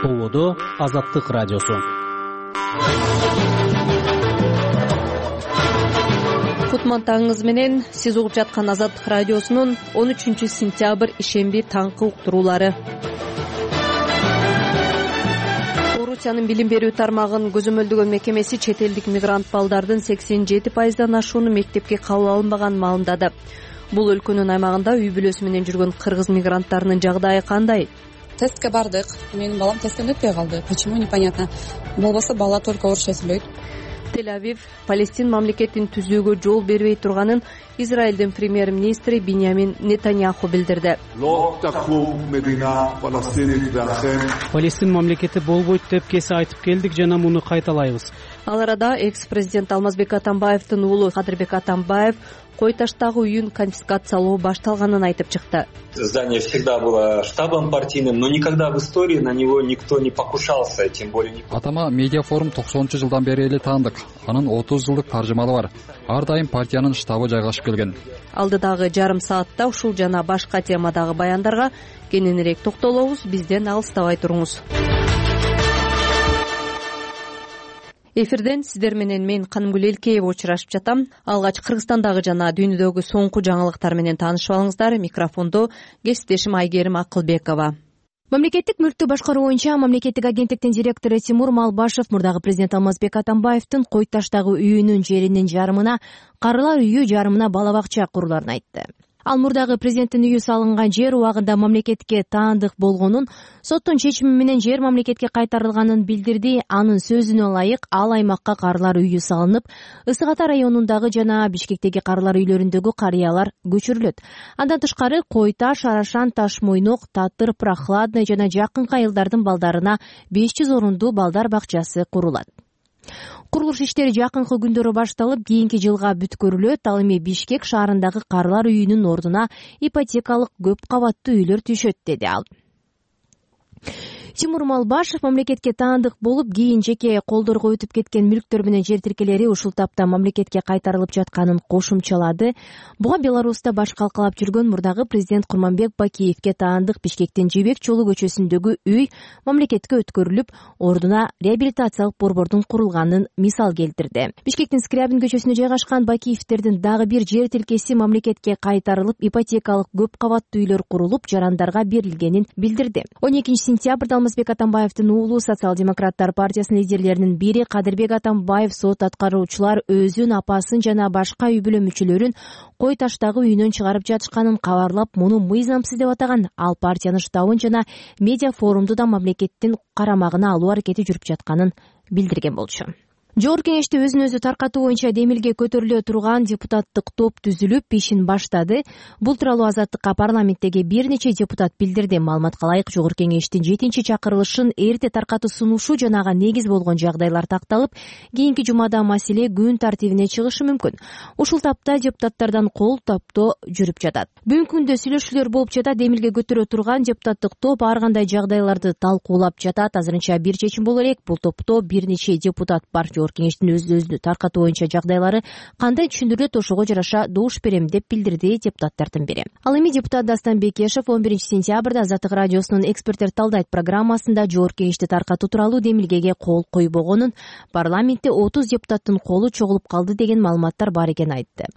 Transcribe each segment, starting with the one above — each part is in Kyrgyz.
Болодо Азаттык радиосу. Кутман таңыңыз менен сиз угуп жаткан Азаттык радиосунун 13 сентябрь ишемби таңкы уктуруулары. Орусиянын билим берүү тармагын көзөмөлдөгөн мекемеси чет элдик мигрант балдардын 87%дан ашууну мектепке кабыл алынбаганын маалымдады. Бул өлкөнүн аймагында үй бүлөсү менен жүргөн кыргыз мигранттарынын жагдайы кандай? Тестке бардык. Менин балам тесттен өтпөй калды. Почему непонятно. Болбосо бала только орусча сүйлөйт. Тель-Авив Палестин мамлекетин түзүүгө жол бербей турганын Израилдин премьер-министри Биньямин Нетаньяху билдирди. Палестин мамлекети болбойт деп кесе айтып келдик жана муну кайталайбыз. Ал арада экс-президент Алмазбек Атамбаевдин уулу Кадырбек Атамбаев Кой таштагы үйүн конфискациялоо башталганын айтып чыкты. Здание всегда было штабом партийным, но никогда в истории на него никто не покушался, тем более не... Атама медиафорум 90-жылдан бери эле таандык. Анын 30 жылдык таржымалы бар. Ар дайым партиянын штабы жайгашып келген. Алдыдагы жарым саатта ушул жана башка темадагы баяндарга кененирээк токтолобуз. Бизден алыстабай туруңуз. Эфирден сиздер менен мен Канымгүл Элкеева учурашып жатам. Алгач Кыргызстандагы жана дүйнөдөгү соңку жаңылыктар менен таанышып алыңыздар. Микрофондо кесиптешим Айгерим Акылбекова. Мамлекеттик мүлктү башкаруу боюнча мамлекеттик агенттиктин директору Тимур Малбашев мурдагы президент Алмазбек Атамбаевдин Кой таштагы үйүнүн жеринин жарымына карылар үйү, жарымына бала бакча куруларын айтты. Ал мурдагы президенттин үйү салынган жер убагында мамлекетке таандык болгонун, соттун чечими менен жер мамлекетке кайтарылганын билдирди. Анын сөзүнө ылайык, ал аймакка карылар үйү салынып, Ысык Ата районундагы жана Бишкектеги карылар үйлөрүндөгү карыялар көчүрүлөт. Андан тышкары Кой Таш, Арашан, Ташмойнок, Татыр, Прохладный жана жакынкы айылдардын балдарына 500 орундуу балдар бакчасы курулат. Курулуш иштери жакынкы күндөрү башталып, кийинки жылга бүткөрүлөт. Ал эми Бишкек шаарындагы карылар үйүнүн ордуна ипотекалык көп кабаттуу үйлөр түшөт, деди ал. Тимур Малбашев мамлекетке таандык болуп, кийин жеке колдорго өтүп кеткен мүлктөр менен жер тиркелери ушул тапта мамлекетке кайтарылып жатканын кошумчалады. Буга Беларуста баш калкалап жүргөн мурдагы президент Курманбек Бакиевке таандык Бишкектин Жибек Жолу көчөсүндөгү үй мамлекетке өткөрүлүп, ордуна реабилитациялык борбордун курулганын мисал келтирди. Бишкектин Скрябин көчөсүнө жайгашкан Бакиевтердин дагы бир жер тилкеси мамлекетке кайтарылып, ипотекалык көп кабаттуу үйлөр курулуп, жарандарга берилгенин билдирди. 12 сентябрда Алмазбек Атамбаевдин уулу Социал-демократтар партиясынын лидерлеринин бири Кадырбек Атамбаев сот аткаруучулар өзүн, апасын жана башка үй бүлө мүчөлөрүн Кой таштагы үйүнөн чыгарып жатышканын кабарлап, муну мыйзамсыз деп атаган. Ал партиянын штабын жана медиа форумду да мамлекеттин карамагына алуу аракети жүрүп жатканын билдирген болчу. Жогорку кеңеште өзүн өзү таркатуу боюнча демилге көтөрүлө турган депутаттык топ түзүлүп, ишин баштады. Бул тууралуу Азаттыкка парламенттеги бир нече депутат билдирди. Маалыматка ылайык, жогорку кеңештин 7-чакырылышын эрте таркатуу сунушу жана ага негиз болгон жагдайлар такталып, кийинки жумада маселе күн тартибине чыгышы мүмкүн. Ушул тапта депутаттардан кол топтоо жүрүп жатат. Бүгүнкү күндө сүйлөшүүлөр болуп жатат. Демилге көтөрө турган депутаттык топ ар кандай жагдайларды талкуулап жатат. Азырынча бир чечим боло элек. Бул топто бир нече депутат бар. Кеңештин өзү таркатуу боюнча жагдайлары кандай түшүндүрүлөт, ошого жараша добуш берем деп билдирди депутаттардын бири. Ал эми депутат Дастан Бекешев 11 сентябрда Азаттык радиосунун эксперттер талдайт программасында жогорку кеңешти таркатуу тууралуу демилгеге кол койбогонун, парламентте 30 депутаттын колу чогулуп калды деген маалыматтар бар экенин айтты.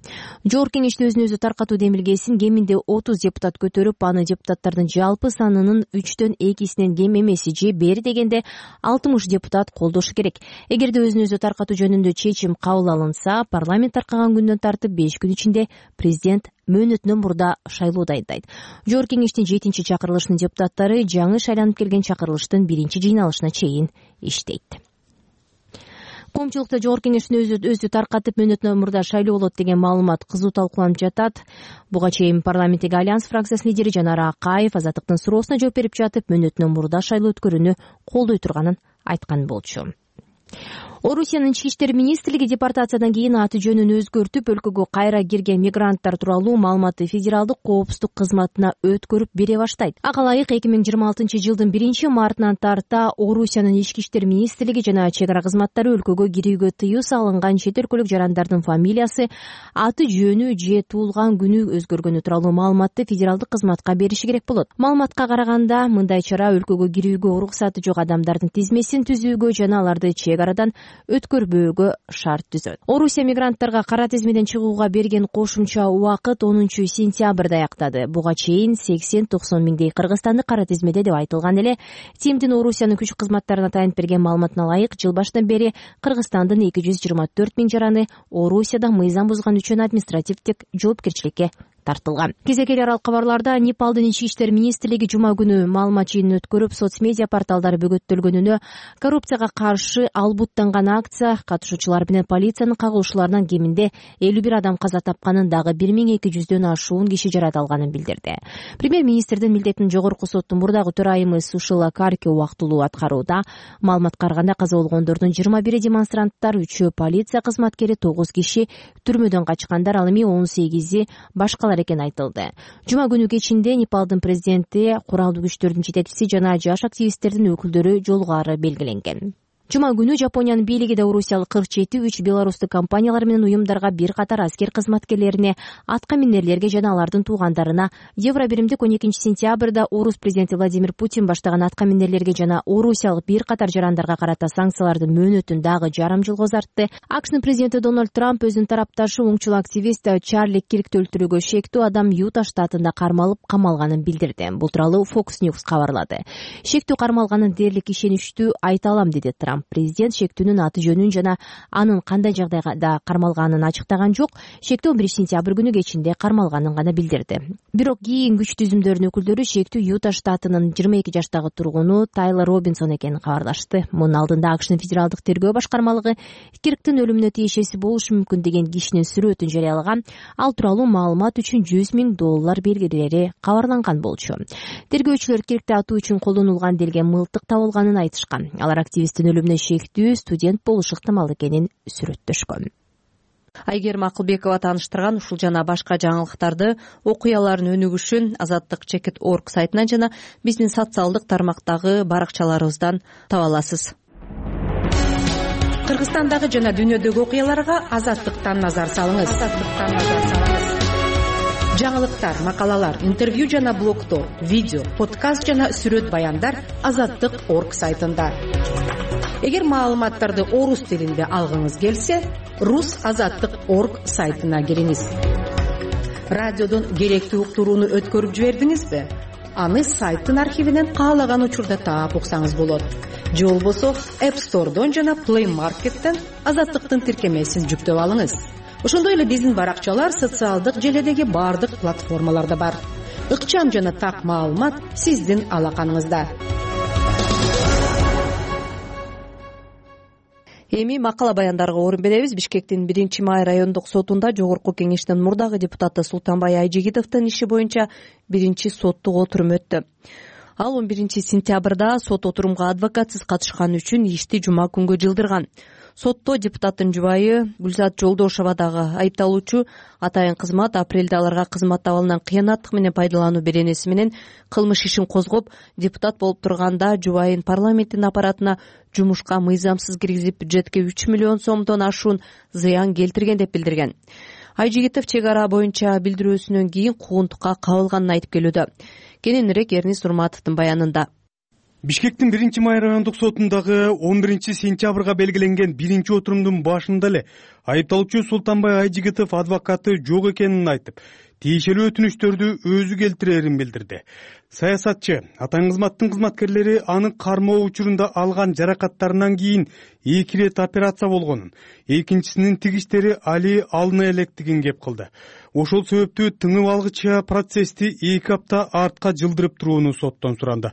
Жогорку кеңеште өзүн өзү таркатуу демилгесин кеминде 30 депутат көтөрүп, аны депутаттардын жалпы санынын 3/2 кем эмеси же бери дегенде 60 депутат колдошу керек. Эгерде өзүн өзү таркатуу жөнүндө чечим кабыл алынса, парламент таркаган күндөн тартып 5 күн ичинде президент мөөнөтүнөн мурда шайлоо дайындайт. Жогорку кеңештин 7-чакырылышынын депутаттары жаңы шайланып келген чакырылыштын 1-жыйналышына чейин иштейт. Коомчулукта жогорку кеңештин өзү таркатып мөөнөтүнөн мурда шайлоо болот деген маалымат кызуу талкууланып жатат. Буга чейин парламенттеги Альянс фракциясынын лидери Жанара Акаев Азаттыктын суроосуна жооп берип жатып, мөөнөтүнөн мурда шайлоо өткөрүүнү колдой турганын айткан болчу. Орусиянын ички иштер министрлиги депортациядан кийин аты жөнүн өзгөртүп, өлкөгө кайра кирген мигранттар тууралуу маалыматты федералдык коопсуздук кызматына өткөрүп бере баштайт. Ага ылайык 2026 жылдын 1-мартынан тарта Орусиянын ички иштер министрлиги жана чек ара кызматтары өлкөгө кирүүгө тыюу салынган чет өлкөлүк жарандардын фамилиясы, аты жөнү же туулган күнү өзгөргөнү тууралуу маалыматты федералдык кызматка бериши керек болот. Маалыматка караганда, мындай чара өлкөгө кирүүгө уруксаты жок адамдардын тизмесин түзүүгө жана аларды чек арадан өткөрбөөгө шарт түзөт. Орусия мигранттарга кара тизмеден чыгууга берген кошумча убакыт 10-сентябрда аяктады. Буга чейин 80-90 миңдей кыргызстандык кара тизмеде деп айтылган эле. ТИМдин Орусиянын күч кызматтарына таянып берген маалыматына ылайык, жыл башынан бери Кыргызстандын 224 миң жараны Орусияда мыйзам бузган үчүн административдик жоопкерчиликке тартылган. Кезекели аралык кабарларда Непалдын ички иштер министрлиги жума күнү маалымат жыйынын өткөрүп, соц медиа порталдары бөгөттөлгөнүнө, коррупцияга каршы албуттанган акция катышуучулары менен полициянын кагылышууларынан кеминде 51 адам каза тапканын, дагы 1200дөн ашуун киши жараланганын билдирди. Премьер-министрдин милдетин жогорку соттун мурдагы төрайымы Сушила Карки убактылуу аткарууда. Маалыматка караганда, каза болгондордун 21 демонстранттар, 3 полиция кызматкери, 9 киши түрмөдөн качкандар, ал эми 18 башкалар экен айтылды. Жума күнү кечинде Непалдын президенти, куралдуу күчтөрдүн жетекчиси жана жаш активисттердин өкүлдөрү жолугаары белгиленген. Жума күнү Жапониянын бийлиги да Орусиялык 47 белорустук компаниялар менен уюмдарга, бир катар аскер кызматкерлерине, атка минерлерге жана алардын туугандарына Евробиримдик 12-сентябрда Орус президенти Владимир Путин баштаган атка минерлерге жана орусиялык бир катар жарандарга карата санкциялардын мөөнөтүн дагы жарым жылга узартты. АКШнын президенти Дональд Трамп өзүнүн тарапташы оңчул активист Чарли Киркти өлтүрүүгө шектүү адам Юта штатында кармалып камалганын билдирди. Бул тууралуу Fox News кабарлады. Шектүү кармалганын дээрлик ишеничтүү айта алам, деди Трамп. Президент шектүүнүн аты жөнүн жана анын кандай жагдайда кармалганын ачыктаган жок. Шектүү 11-сентябрь күнү кечинде кармалганын гана билдирди. Бирок кийин күч түзүмдөрүнүн өкүлдөрү шектүү Юта штатынын 22 жаштагы тургуну Тайлер Робинсон экенин кабарлашты. Мунун алдында АКШнын федералдык тергөө башкармалыгы Кирктин өлүмүнө тиешеси болушу мүмкүн деген кишинин сүрөтүн жарыялаган. Ал тууралуу маалымат үчүн $100 миң белгилери кабарланган болчу. Тергөөчүлөр Киркти атуу үчүн колдонулган делген мылтык табылганын айтышкан. Алар активисттин өлүмүнө шектүү студент болушу ыктымал экенин сүрөттөшкөн. Айгерим Акылбекова тааныштырган ушул жана башка жаңылыктарды, окуялардын өнүгүшүн azattik.org сайтынан жана биздин социалдык тармактагы баракчаларыбыздан таба аласыз. Кыргызстандагы жана дүйнөдөгү окуяларга Азаттыктан назар салыңыз. Жаңылыктар, макалалар, интервью жана блогдор, видео, подкаст жана сүрөт баяндар azattik.org сайтында. Эгер маалыматтарды орус тилинде алгыңыз келсе, rus.azattik.org сайтына кириңиз. Радиодон керектүү уктурууну өткөрүп жибердиңизби? Аны сайттын архивинен каалаган учурда таап уксаңыз болот. Же болбосо App Store'дон жана Play Market'тен Азаттыктын тиркемесин жүктөп алыңыз. Ошондой эле биздин баракчалар социалдык желедеги бардык платформаларда бар. Ыкчам жана так маалымат сиздин алаканыңызда. Эми макала баяндарга орун беребиз. Бишкектин 1-май райондук сотунда жогорку кеңештин мурдагы депутаты Султанбай Айжигитовдун иши боюнча биринчи соттук отурум өттү. Ал 11-сентябрда сот отурумга адвокатсыз катышканы үчүн ишти жума күнгө жылдырган. Сотто депутаттын жубайы Гүлзат Жолдошова дагы айыпталуучу атайын кызмат апрелде аларга кызмат абалынан кыянаттык менен пайдалануу беренеси менен кылмыш ишин козгоп, депутат болуп турганда жубайын парламенттин аппаратына жумушка мыйзамсыз киргизип, бюджетке 3 миллион сомдон ашуун зыян келтирген деп билдирген. Айжигитов чек ара боюнча билдирүүсүнөн кийин куугунтукка кабылганын айтып келүүдө. Кененирээк Эрнис Урматовдун баянында. Бишкектин 1-май райондук сотундагы 11-сентябрга белгиленген биринчи отурумдун башында эле айыпталуучу Султанбай Айжигитов адвокаты жок экенин айтып, тиешелүү өтүнүчтөрдү өзү келтирерин билдирди. Саясатчы атайын кызматтын кызматкерлери анын кармоо учурунда алган жаракаттарынан кийин 2 рет операция болгонун, экинчисинин тигиштери али алына электигин кеп кылды. Ошол себептүү тыңып алгыча процессти 2 апта артка жылдырып турууну соттон суранды.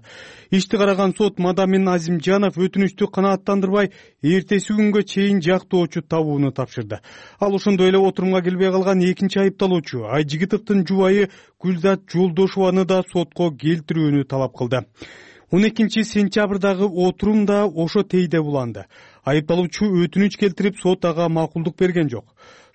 Ишти караган сот Мадамин Азимжанов өтүнүчтү канааттандырбай, эртеси күнгө чейин жактоочу табууну тапшырды. Ал ошондой эле отурумга келбей калган экинчи айыпталуучу Айжигитовдун жубайы Гүлзат Жолдошованы да сотко келтирүүнү талап кылды. 12-сентябрдагы отурум да ошо тейде буланды. айыпталуучу өтүнүч келтирип сот ага макулдук берген жок.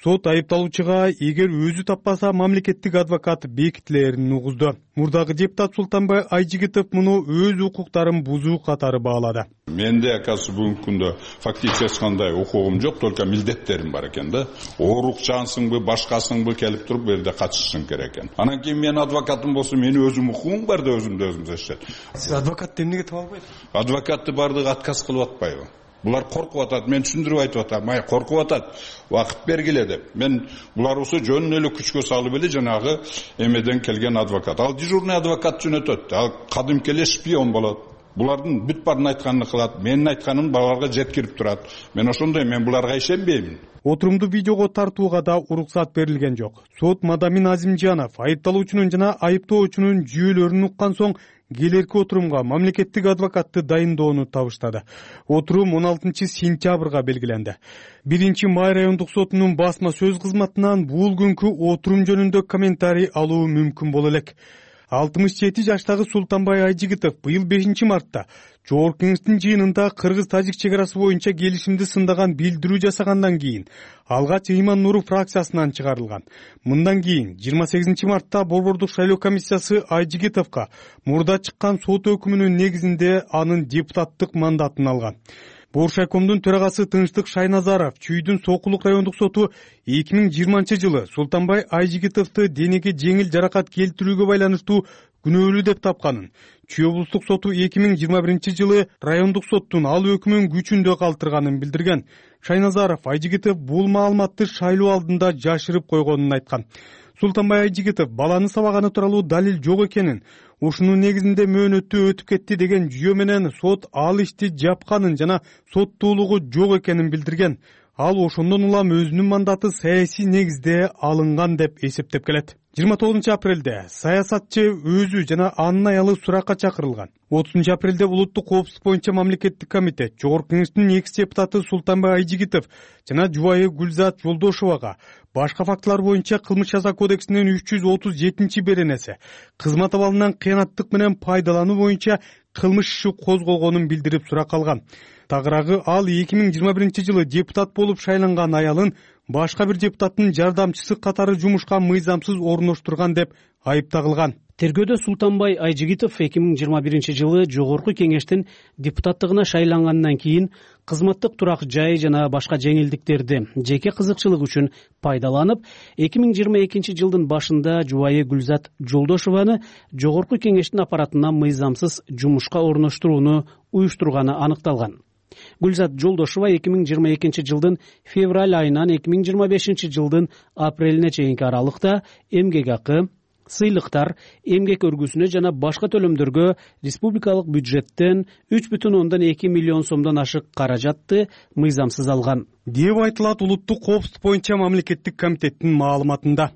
Сот айыпталуучуга эгер өзү таппаса мамлекеттик адвокат бекитилерин угузду. Мурдагы депутат Султанбай Айжигитов муну өз укуктарын бузуу катары баалады. Менде акасы бүгүнкү күндө фактически эч кандай укугум жок, только милдеттерим бар экен да. Оорукчансыңбы, башкасыңбы келип туруп бу жерде катышышың керек экен. Анан кийин мен адвокатым болсо, менин өзүм укугум бар да өзүм зачет. Сиз адвокатты эмнеге таба албайсыз? Адвокатты бардыгы отказ кылып атпайбы? Булар коркуп атат, мен түшүндүрүп айтып атам. Май коркуп атат, убакыт бергиле деп. Мен булар болсо жөн эле күчкө салып эле жанагы эмеден келген адвокат. Ал дежурный адвокат жөнөтөт. Ал кадимки эле шпион болот. Булардын бүт барын айтканын кылат. Менин айтканым баларга жеткирип турат. Мен ошондой, мен буларга ишенбеймин. Отурумду видеого тартууга да уруксат берилген жок. Сот Мадамин Азимжанов айыпталуучунун жана айыптоочунун жүйөлөрүн уккан соң келерки отурумга мамлекеттик адвокатты дайындоону табыштады. Отурум 16 сентябрга белгиленди. 1-Май райондук сотунун басма сөз кызматынан бул күнкү отурум жөнүндө комментарий алуу мүмкүн боло элек. 67 жаштагы Султанбай Айжигитов быйыл 5-мартта Жогорку Кеңештин жыйынында Кыргыз-Тажик чек арасы боюнча келишимди сындаган билдирүү жасагандан кийин алгач Ыйман Нуру фракциясынан чыгарылган. Мындан кийин 28-мартта Борбордук шайлоо комиссиясы Айжигитовго мурда чыккан сот өкүмүнүн негизинде анын депутаттык мандатын алган. Боршайкомдун төрагасы Тынчтык Шайназаров Чүйдүн Сокулук райондук соту 2020-жылы Султанбай Айжигитовду денеге жеңил жаракат келтирүүгө байланыштуу күнөөлүү деп тапканын, Чүй облустук соту 2021-жылы райондук соттун ал өкүмүн күчүндө калтырганын билдирген. Шайназаров Айжигитов бул маалыматты шайлоо алдында жашырып койгонун айткан. Султанбай Айжигитов баланы сабаганы тууралуу далил жок экенин, ушунун негизинде мөөнөтү өтүп кетти деген жүйө менен сот ал ишти жапканын жана соттуулугу жок экенин билдирген. Ал ошондон улам өзүнүн мандаты саясий негизде алынган деп эсептеп келет. 29 апрелде саясатчы өзү жана анын аялы суракка чакырылган. 30 апрелде улуттук коопсуздук боюнча мамлекеттик комитет Жогорку Кеңештин экс-депутаты Султанбай Айжигитов жана жубайы Гүлзат Жолдошовага башка фактылар боюнча Кылмыш жаза кодексинин 337-беренеси кызмат абалынан кыянаттык менен пайдалануу боюнча кылмыш иши козголгонун билдирип сурак алган. Тагыраагы ал 2021-жылы депутат болуп шайланган аялын башка бир депутаттын жардамчысы катары жумушка мыйзамсыз орноштурган деп айыпталган. Тергөөдө Султанбай Айжигитов 2021-жылы Жогорку Кеңештин депутаттыгына шайлангандан кийин кызматтык турак жай жана башка жеңилдиктерди жеке кызыкчылык үчүн пайдаланып, 2022-жылдын башында жубайы Гүлзат Жолдошованы Жогорку Кеңештин аппаратына мыйзамсыз жумушка орноштурууну уюштурганы аныкталган. Гүлзат Жолдошова 2022-жылдын февраль айынан 2025-жылдын апрелине чейинки аралыкта эмгек акы, сыйлыктар, эмгек өргүсүнө жана башка төлөмдөргө республикалык бюджеттен 3,2 миллион сомдон ашык каражатты мыйзамсыз алган деп айтылат улуттук коопсуздук боюнча мамлекеттик комитеттин маалыматында.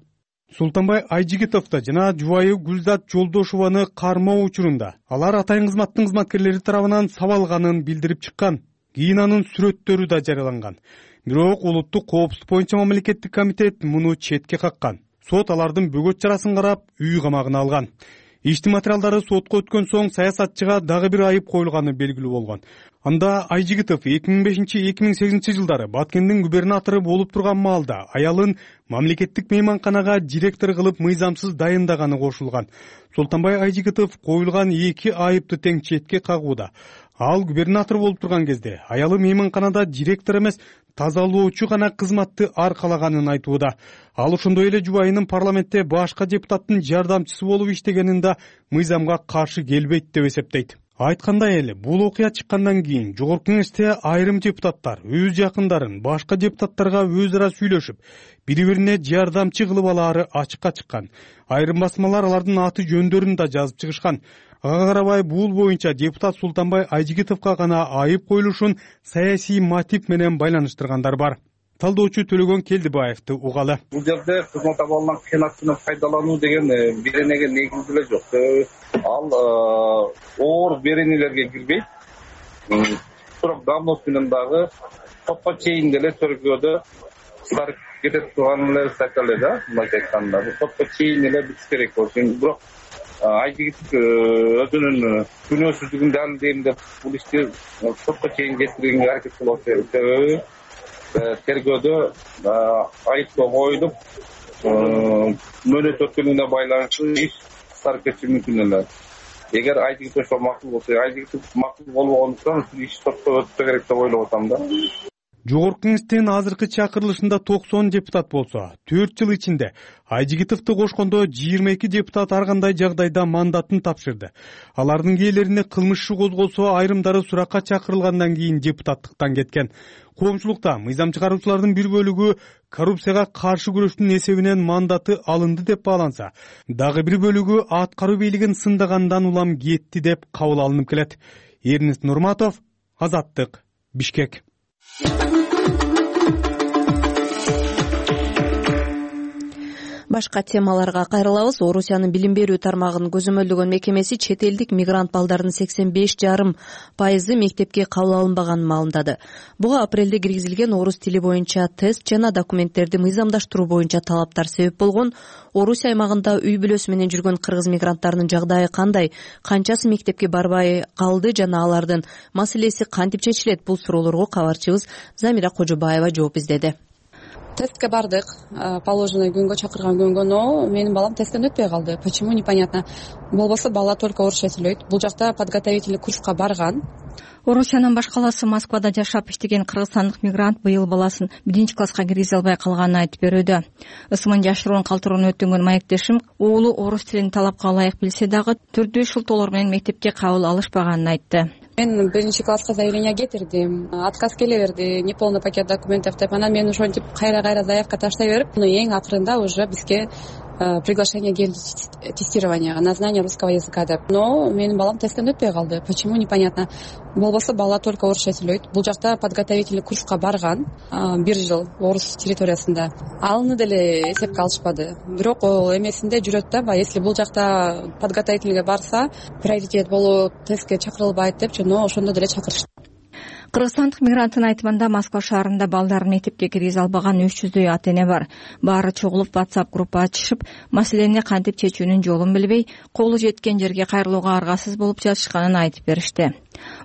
Султанбай Айжигитовду жана жубайы Гүлзат Жолдошованы кармоо учурунда алар атайын кызматтын кызматкерлери тарабынан сабалганын билдирип чыккан. Кийин анын сүрөттөрү да жарыяланган. Бирок улуттук коопсуздук боюнча мамлекеттик комитет муну четке каккан. Сот алардын бөгөт чарасын карап, үй камагына алган. Иштин материалдары сотко өткөн соң саясатчыга дагы бир айып коюлганы белгилүү болгон. Анда Айжигитов 2005-2008 жылдары Баткендин губернатору болуп турган маалда аялын мамлекеттик мейманканага директор кылып мыйзамсыз дайындаганы кошулган. Султанбай Айжигитов коюлган эки айыпты тең четке кагууда. Ал губернатор болуп турган кезде аялы мейманканада директор эмес, тазалоочу гана кызматты аркалаганын айтууда. Ал ошондой эле жубайынын парламентте башка депутаттын жардамчысы болуп иштегенин да мыйзамга каршы келбейт деп эсептейт. Айткандай эле, бул окуя чыккандан кийин Жогорку Кеңеште айрым депутаттар өз жакындарын башка депутаттарга өз ара сүйлөшүп, бири-бирине жардамчы кылып алаары ачыкка чыккан. Айрым басмалар алардын аты жөндөрүн да жазып чыгышкан. Ага карабай бул боюнча депутат Султанбай Айжигитовго гана айып коюлушун саясий мотив менен байланыштыргандар бар. Талдоочу Төлөгөн Келдибаевди угалы. Бул жерде кызмат абалынан кыянат менен пайдалануу деген беренеге негизделе жок. Ал оор беренелерге кирбейт. Бирок давност менен дагы сотко чейин деле тергөөдө сарып кетип турган эле статья эле да, мындай айтканда. Сотко чейин эле битиш керек болчу. Бирок Айжигит өзүнүн күнөөсүздүгүн далилдейм деп бул ишти сотко чейин жеткирүүгө аракет кылып атат. Себеби тергөөдө айыптоо коюлуп мөөнөт өткөнүнө байланыштуу иш кыскарып кетиши мүмкүн эле. Эгер Айжигит ошо макул болсо, Айжигит макул болбогондуктан иш сотко өтсө керек деп ойлоп атам да. Жогорку Кеңештин азыркы чакырылышында 90 депутат болсо, 4 жыл ичинде Айжигитовду кошкондо 22 депутат ар кандай жагдайда мандатын тапшырды. Алардын кээлерине кылмыш иши козголсо, айрымдары суракка чакырылгандан кийин депутаттыктан кеткен. Коомчулукта мыйзам чыгаруучулардын бир бөлүгү коррупцияга каршы күрөштүн эсебинен мандаты алынды деп бааланса, дагы бир бөлүгү аткаруу бийлигин сындагандан улам кетти деп кабыл алынып келет. Эрнест Нурматов, Азаттык, Бишкек. Башка темаларга кайрылабыз. Орусиянын билим берүү тармагын көзөмөлдөгөн мекемеси чет элдик мигрант балдардын 85,5% мектепке кабыл алынбаганын маалымдады. Буга апрелде киргизилген орус тили боюнча тест жана документтерди мыйзамдаштыруу боюнча талаптар себеп болгон. Орусия аймагында үй бүлөсү менен жүргөн кыргыз мигранттарынын жагдайы кандай, канчасы мектепке барбай калды жана алардын маселеси кантип чечилет? Бул суроолорго кабарчыбыз Замира Кожобаева жооп издеди. Тестке бардык, положенный күнгө чакырган күнгө, но менин балам тесттен өтпөй калды. Почему непонятно. Болбосо бала только орусча сүйлөйт. Бул жакта подготовительный курска барган. Орусиянын баш калаасы Москвада жашап иштеген кыргызстандык мигрант быйыл баласын 1-класска киргизе албай калганын айтып берүүдө. Ысымын жашыруун калтырууну өтүнгөн маектешим уулу орус тилин талапка ылайык билсе дагы түрдүү шылтоолор менен мектепке кабыл алышпаганын айтты. Мен 1-класска заявление кетирдим, отказ келе берди, неполный пакет документов деп. Анан мен ошентип кайра заявка таштай берип, эң акырында уже бизге приглашение келди тестированияга на знание русского языка деп. Но менин балам тесттен өтпөй калды. Почему непонятно. Болбосо бала только орусча сүйлөйт. Бул жакта подготовительный курска барган 1 жыл орус территориясында. Алыны деле эсепке алышпады. Бирок эмесинде жүрөт да, если бул жакта подготовительныйга барса, приоритет болуп тестке чакырылбайт деп, но ошондо деле чакырышты. Кыргызстандык мигранттын айтымында Москва шаарында балдарын мектепке киргизе албаган 300дөй ата-эне бар. Баары чогулуп WhatsApp группа ачышып, маселени кантип чечүүнүн жолун билбей, колу жеткен жерге кайрылууга аргасыз болуп жатышканын айтып беришти.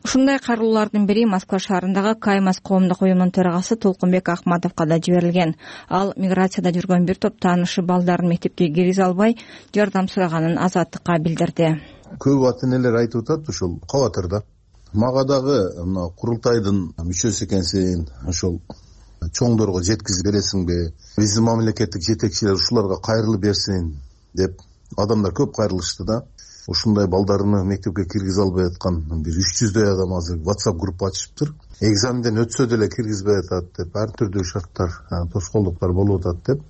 Ушундай кайрылуулардын бири Москва шаарындагы Каймас коомдук уюмунун төрагасы Толкунбек Ахматовго да жиберилген. Ал миграцияда жүргөн бир топ таанышы балдарын мектепке киргизе албай, жардам сураганын Азаттыкка билдирди. Көп ата-энелер айтып атат, ушул кабатырда. Мага дагы мына курултайдын мүчөсү экенсиң, ошол чоңдорго жеткизип бересиңби, биздин мамлекеттик жетекчилер ушуларга кайрылып берсин деп адамдар көп кайрылышты да. Ушундай балдарыны мектепке киргизе албай аткан бир 300дөй адам азыр WhatsApp группа ачышыптыр. Экзаменден өтсө деле киргизбей атат деп, ар түрдүү шарттар, тоскоолдуктар болуп атат деп.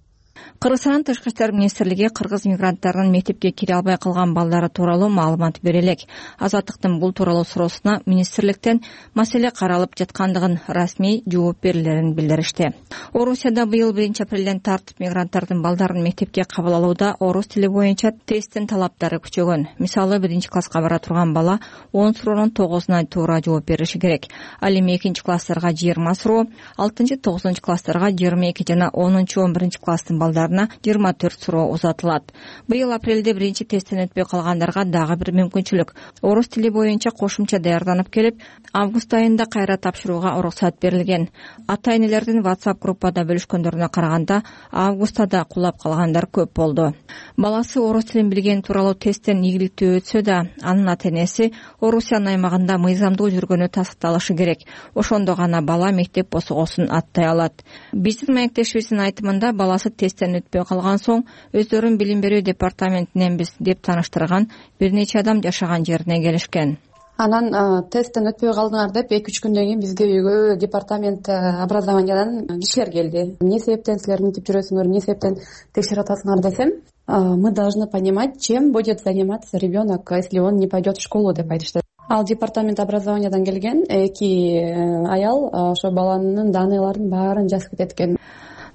Кыргызстан Тышкы иштер министрлиги кыргыз мигранттарынын мектепке кире албай калган балдары тууралуу маалымат бере элек. Азаттыктын бул тууралуу суроосуна министрликтен маселе каралып жаткандыгын, расмий жооп берилерин билдиришти. Орусияда быйыл 1-апрелден тартып мигранттардын балдарын мектепке кабыл алууда орус тили боюнча тесттин талаптары күчөгөн. Мисалы 1-класска бара турган бала 10 суроонун 9-уна туура жооп бериши керек. Ал эми 2-класстарга 20 суроо, 6-9 класстарга 22 жана 10-11 класстын балдарына 24 суроо узатылат. Быйыл апрелде 1-тесттен өтпөй калгандарга дагы бир мүмкүнчүлүк. Орус тили боюнча кошумча даярданып келип, август айында кайра тапшырууга уруксат берилген. Ата-энелердин WhatsApp группада бөлүшкөндөрүнө караганда, августта да кулап калгандар көп болду. Баласы орус тилин билген тууралуу тесттен ийгиликтүү өтсө да, анын ата-энеси Орусиянын аймагында мыйзамдуу жүргөнү тастыкталышы керек. Ошондо гана бала мектеп босогосун аттай алат. Биздин маектешибиздин айтымында баласы тесттен өтпөй калган соң өздөрүн билим берүү департаментиненбиз деп тааныштырган бир нече адам жашаган жерине келишкен. Анан тесттен өтпөй калдыңар деп 2-3 күндөн кийин бизге үйгө департамент образованиядан кишилер келди. Эмне себептен силер мынтип жүрөсүңөр, эмне себептен текшерип атасыңар десем, мы должны понимать, чем будет заниматься ребенок, если он не пойдет в школу деп айтышты. Ал департамент образованиядан келген 2 аял ошо баланын даныйларын баарын жазып кетет экен.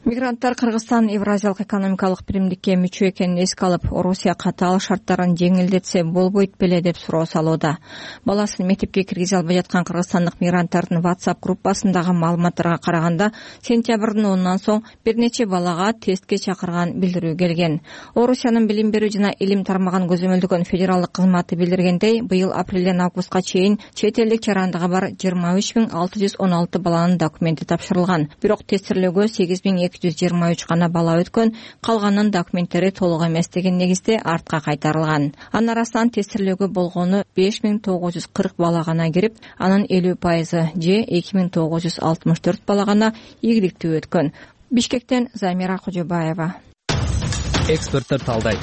Мигранттар Кыргызстан Евразиялык экономикалык биримдикке мүчө экенин эске алып, Орусия катаал шарттарын жеңилдетсе болбойт беле деп суроо салууда. Баласын мектепке киргизе албай жаткан кыргызстандык мигранттардын WhatsApp группасындагы маалыматтарга караганда, сентябрдын 10-нан соң бир нече балага тестке чакырган билдирүү келген. Орусиянын билим берүү жана илим тармагын көзөмөлдөгөн федералдык кызматы билдиргендей, быйыл апрелден августка чейин чет элдик жарандыгы бар 23.616 баланын документи тапшырылган. Бирок тестирлөөгө 8.223 гана бала өткөн, калганын документтери толук эмес деген негизде артка кайтарылган. Анын арасынан тестирлөөгө болгону 5.940 бала гана кирип, анын 50% же 2.964 бала гана ийгиликтүү өткөн. Бишкектен Замира Кожобаева. Эксперттер талдайт.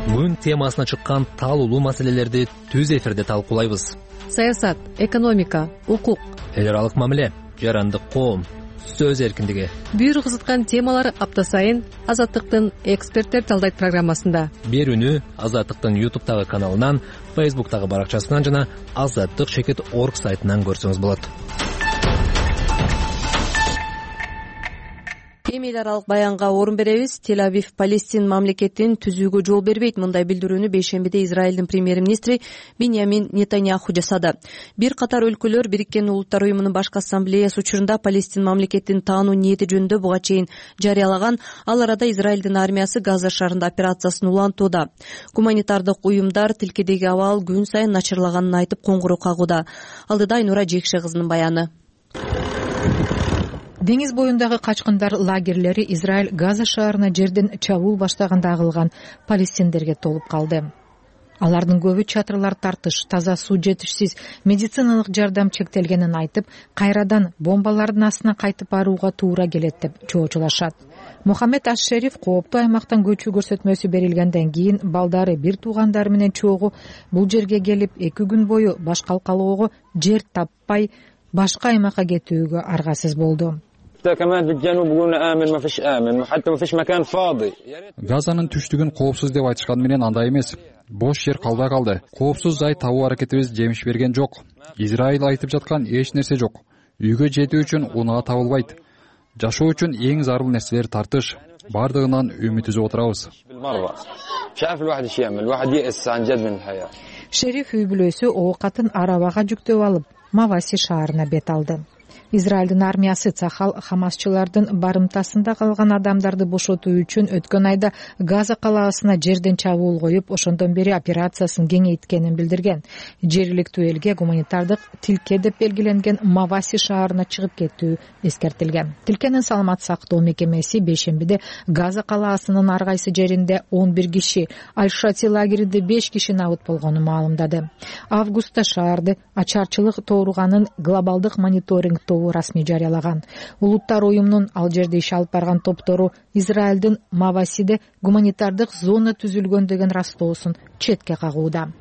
Күн темасына чыккан талуулуу маселелерди түз эфирде талкуулайбыз. Саясат, экономика, укук, эл аралык мамиле, жарандык коом, сөз эркиндиги. Бүйүр кызыткан темалар апта сайын Азаттыктын эксперттер талдайт программасында. Берүүнү Азаттыктын YouTube'тагы каналынан, Facebook'тагы баракчасынан жана azattik.org сайтынан көрсөңүз болот. Эми эл аралык баянга орун беребиз. Тель-Авив Палестин мамлекетин түзүүгө жол бербейт. Мындай билдирүүнү бейшембиде Израилдин премьер-министри Биньямин Нетаньяху жасады. Бир катар өлкөлөр Бириккен Улуттар уюмунун башкы ассамблеясы учурунда Палестин мамлекетин таануу ниети жөнүндө буга чейин жарыялаган. Ал арада Израилдин армиясы Газа шаарында операциясын улантууда. Гуманитардык уюмдар тилкедеги абал күн сайын начарлаганын айтып коңгуроо кагууда. Алдыда Айнура Жекше кызынын баяны. Деңиз боюндагы качкындар лагерлери Израиль Газа шаарына жерден чабуул баштаганда агылган палестиндерге толуп калды. Алардын көбү чатырлар тартыш, таза суу жетишсиз, медициналык жардам чектелгенин айтып, кайрадан бомбалардын астына кайтып барууга туура келет деп чоочулашат. Мухаммед Аш-Шериф кооптуу аймактан көчүү көрсөтмөсү берилгенден кийин балдары бир туугандары менен чогуу бул жерге келип 2 күн бою баш калкалоого жер таппай башка аймакка кетүүгө аргасыз болду. Газанын түштүгүн коопсуз деп айтышканы менен андай эмес. Бош жер калбай калды. Коопсуз жай табуу аракетибиз жемиш берген жок. Израиль айтып жаткан эч нерсе жок. Үйгө жетүү үчүн унаа табылбайт. Жашоо үчүн эң зарыл нерселер тартыш. Бардыгынан үмүт үзүп отурабыз. Шериф үй бүлөсү оокатын арабага жүктөп алып, Маваси шаарына бет алды. Израилдин армиясы Цахал хамасчылардын барымтасында калган адамдарды бошотуу үчүн өткөн айда Газа калаасына жерден чабуул коюп, ошондон бери операциясын кеңейткенин билдирген. Жергиликтүү элге гуманитардык тилке деп белгиленген Маваси шаарына чыгып кетүү эскертилген. Тилкенин саламат сактоо мекемеси бейшембиде Газа калаасынын ар кайсы жеринде 11 киши, Аль-Шати лагеринде 5 киши набыт болгонун маалымдады. Августта шаарды ачарчылык тооруганын глобалдык мониторинг тобу расмий жарыялаган. Улуттар уюмунун ал жерде иш алып барган топтору Израилдин Мавасиде гуманитардык зона түзүлгөн деген растоосун четке кагууда.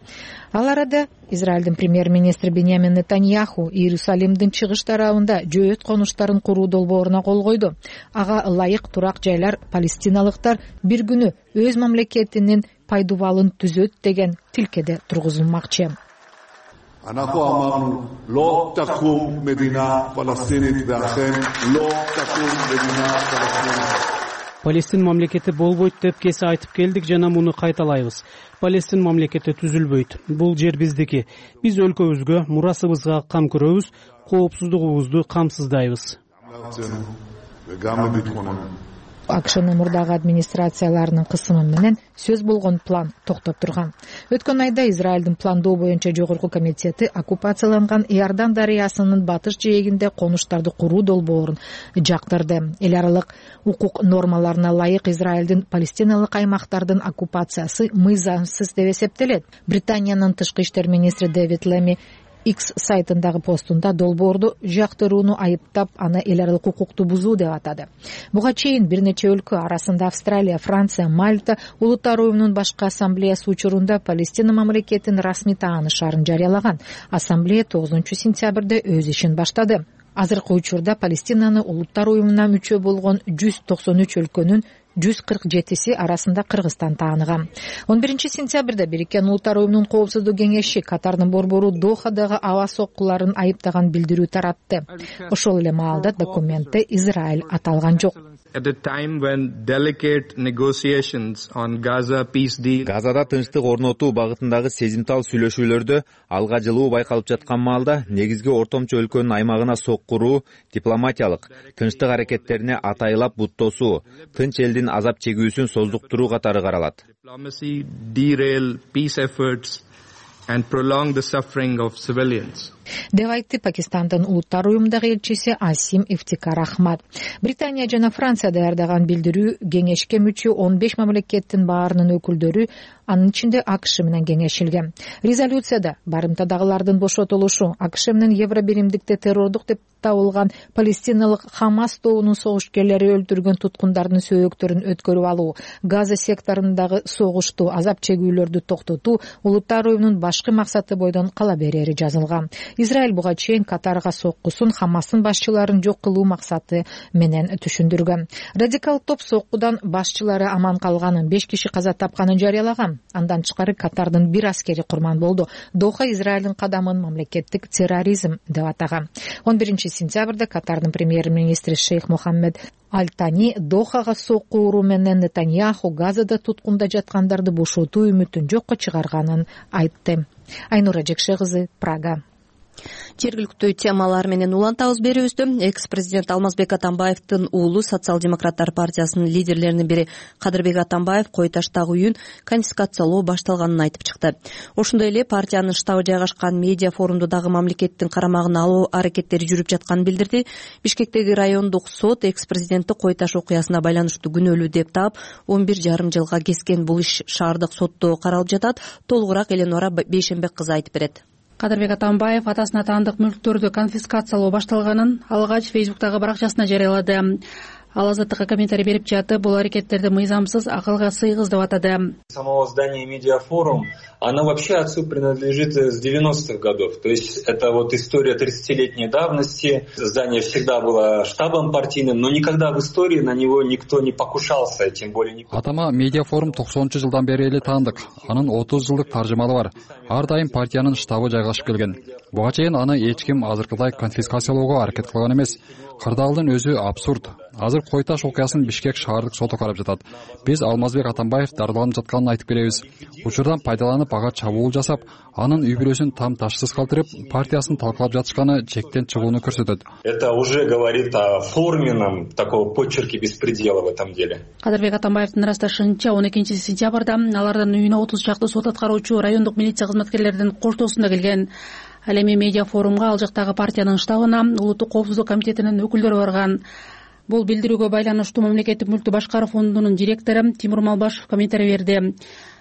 Ал арада Израилдин премьер-министри Биньямин Нетаньяху Иерусалимдин чыгыш тарабында жөөт конуштарын куруу долбооруна кол койду. Ага ылайык турак жайлар палестиналыктар бир күнү өз мамлекетинин пайдубалын түзөт деген тилкеде тургузулмакчы. אנחנו אמרנו, לא תקום מדינה פלסטינית, ואכן לא תקום מדינה פלסטינית. Палестин мамлекети болбойт деп кесе айтып келдик жана муну кайталайбыз. Палестин мамлекети түзүлбөйт. Бул жер биздики. Биз өлкөбүзгө, мурасыбызга кам көрөбүз, коопсуздугубузду камсыздайбыз. АКШнын мурдагы администрацияларынын кысымы менен сөз болгон план токтоп турган. Өткөн айда Израилдин пландоо боюнча жогорку комитети оккупацияланган Иордан дарыясынын батыш жээгинде конуштарды куруу долбоорун жактырды. Эл аралык укук нормаларына ылайык Израилдин палестиналык аймактардын оккупациясы мыйзамсыз деп эсептелет. Британиянын тышкы иштер министри Дэвид Леми X сайтындагы постунда долбоорду жактырууну айыптап, аны эл аралык укукту бузуу деп атады. Буга чейин бир нече өлкө арасында Австралия, Франция, Мальта Улуттар уюмунун башкы ассамблеясы учурунда Палестина мамлекетин расмий таанышаарын жарыялаган. Ассамблея 9-сентябрда өз ишин баштады. Азыркы учурда Палестинаны Улуттар уюмуна мүчө болгон 193 өлкөнүн 147 арасында Кыргызстан тааныган. 11 сентябрда Бириккен Улуттар Уюмунун Коопсуздук кеңеши Катардын борбору Дохадагы аба соккуларын айыптаган билдирүү таратты. Ошол эле маалда документте Израиль аталган жок. Газада тынчтык орнотуу багытындагы сезимтал сүйлөшүүлөрдө алга жылуу байкалып жаткан маалда негизги ортомчу өлкөнүн аймагына соккуруу, дипломатиялык, тынчтык аракеттерине атайлап буттоосу, тынч элдин азап чегүүсүн создуктуруу катары каралат. Деп айтты Пакистандын Улуттар Уюмундагы элчиси Асим Ифтикар Ахмад. Британия жана Франция даярдаган билдирүү кеңешке мүчө 15 мамлекеттин баарынын өкүлдөрү, анын ичинде АКШ менен кеңешилген. Резолюцияда барымтадагылардын бошотулушу, АКШ менен Евробиримдикте террордук деп табылган палестиналык Хамас тобунун согушкерлери өлтүргөн туткундардын сөөгөктөрүн өткөрүп алуу, Газа секторундагы согушту, азап чегүүлөрдү токтотуу Улуттар Уюмунун башкы максаты бойдон кала берери жазылган. Израиль буга чейин Катарга соккусун Хамастын башчыларын жок кылуу максаты менен түшүндүргөн. Радикал топ соккудан башчылары аман калганын, 5 киши каза тапканын жарыялаган. Андан тышкары Катардын бир аскери курман болду. Доха Израилдин кадамын мамлекеттик терроризм деп атаган. 11 сентябрда Катардын премьер-министри Шейх Мохаммед Аль-Тани Дохага сокку уруу менен Нетаньяху Газада туткунда жаткандарды бошотуу үмүтүн жокко чыгарганын айтты. Айнура Жекше кызы, Прага. Жергиликтүү темалар менен улантабыз берүүбүздө. Экс-президент Алмазбек Атамбаевдин уулу Социал-демократтар партиясынын лидерлеринин бири Кадырбек Атамбаев Кой Таштагы үйүн конфискациялоо башталганын айтып чыкты. Ошондой эле партиянын штабы жайгашкан медиа форумду дагы мамлекеттин карамагына алуу аракеттери жүрүп жатканын билдирди. Бишкектеги райондук сот экс-президентти Кой Таш окуясына байланыштуу күнөөлүү деп таап 11,5 жылга кескен. Бул иш шаардык сотто каралып жатат. Толугураак Эленора Бейшенбек кызы айтып берет. Кадырбек Атамбаев атасына таандык мүлктөрдү конфискациялоо башталганын алгач Фейсбуктагы баракчасына жарыялады. Ал Азаттыкка комментарий берип жатып, бул аракеттерди мыйзамсыз, акылга сыйгыз деп атады. Самого здания Медиафорум, она вообще отцу принадлежит с 90-х годов. То есть это вот история 30-летней давности. Здание всегда было штабом партийным, но никогда в истории на него никто не покушался, тем более никто. Атама Медиафорум 90-жылдан бери эле таандык. Анын 30 жылдык таржымалы бар. Ар дайым партиянын штабы жайгашып келген. Буга чейин аны эч ким азыркыдай конфискациялоого аракет кылган эмес. Кырдаалдын өзү абсурд. Азыр Кой Таш окуясын Бишкек шаардык соту карап жатат. Биз Алмазбек Атамбаев дарыланып жатканын айтып беребиз. Учурдан пайдаланып ага чабуул жасап, анын үй бүлөсүн там ташсыз калтырып, партиясын талкалап жатышканы чектен чыгууну көрсөтөт. Это уже говорит о форменном такого почерке беспредела в этом деле. Кадырбек Атамбаевдин ырасташынча 12 сентябрда алардын үйүнө 30 чакты сот аткаруучу райондук милиция кызматкерлеринин коштоосунда келген. Ал эми медиа форумга ал жактагы партиянын штабына Улуттук коопсуздук комитетинин өкүлдөрү барган. Бул билдирүүгө байланыштуу мамлекеттик мүлктү башкаруу фондунун директору Тимур Малбашев комментарий берди.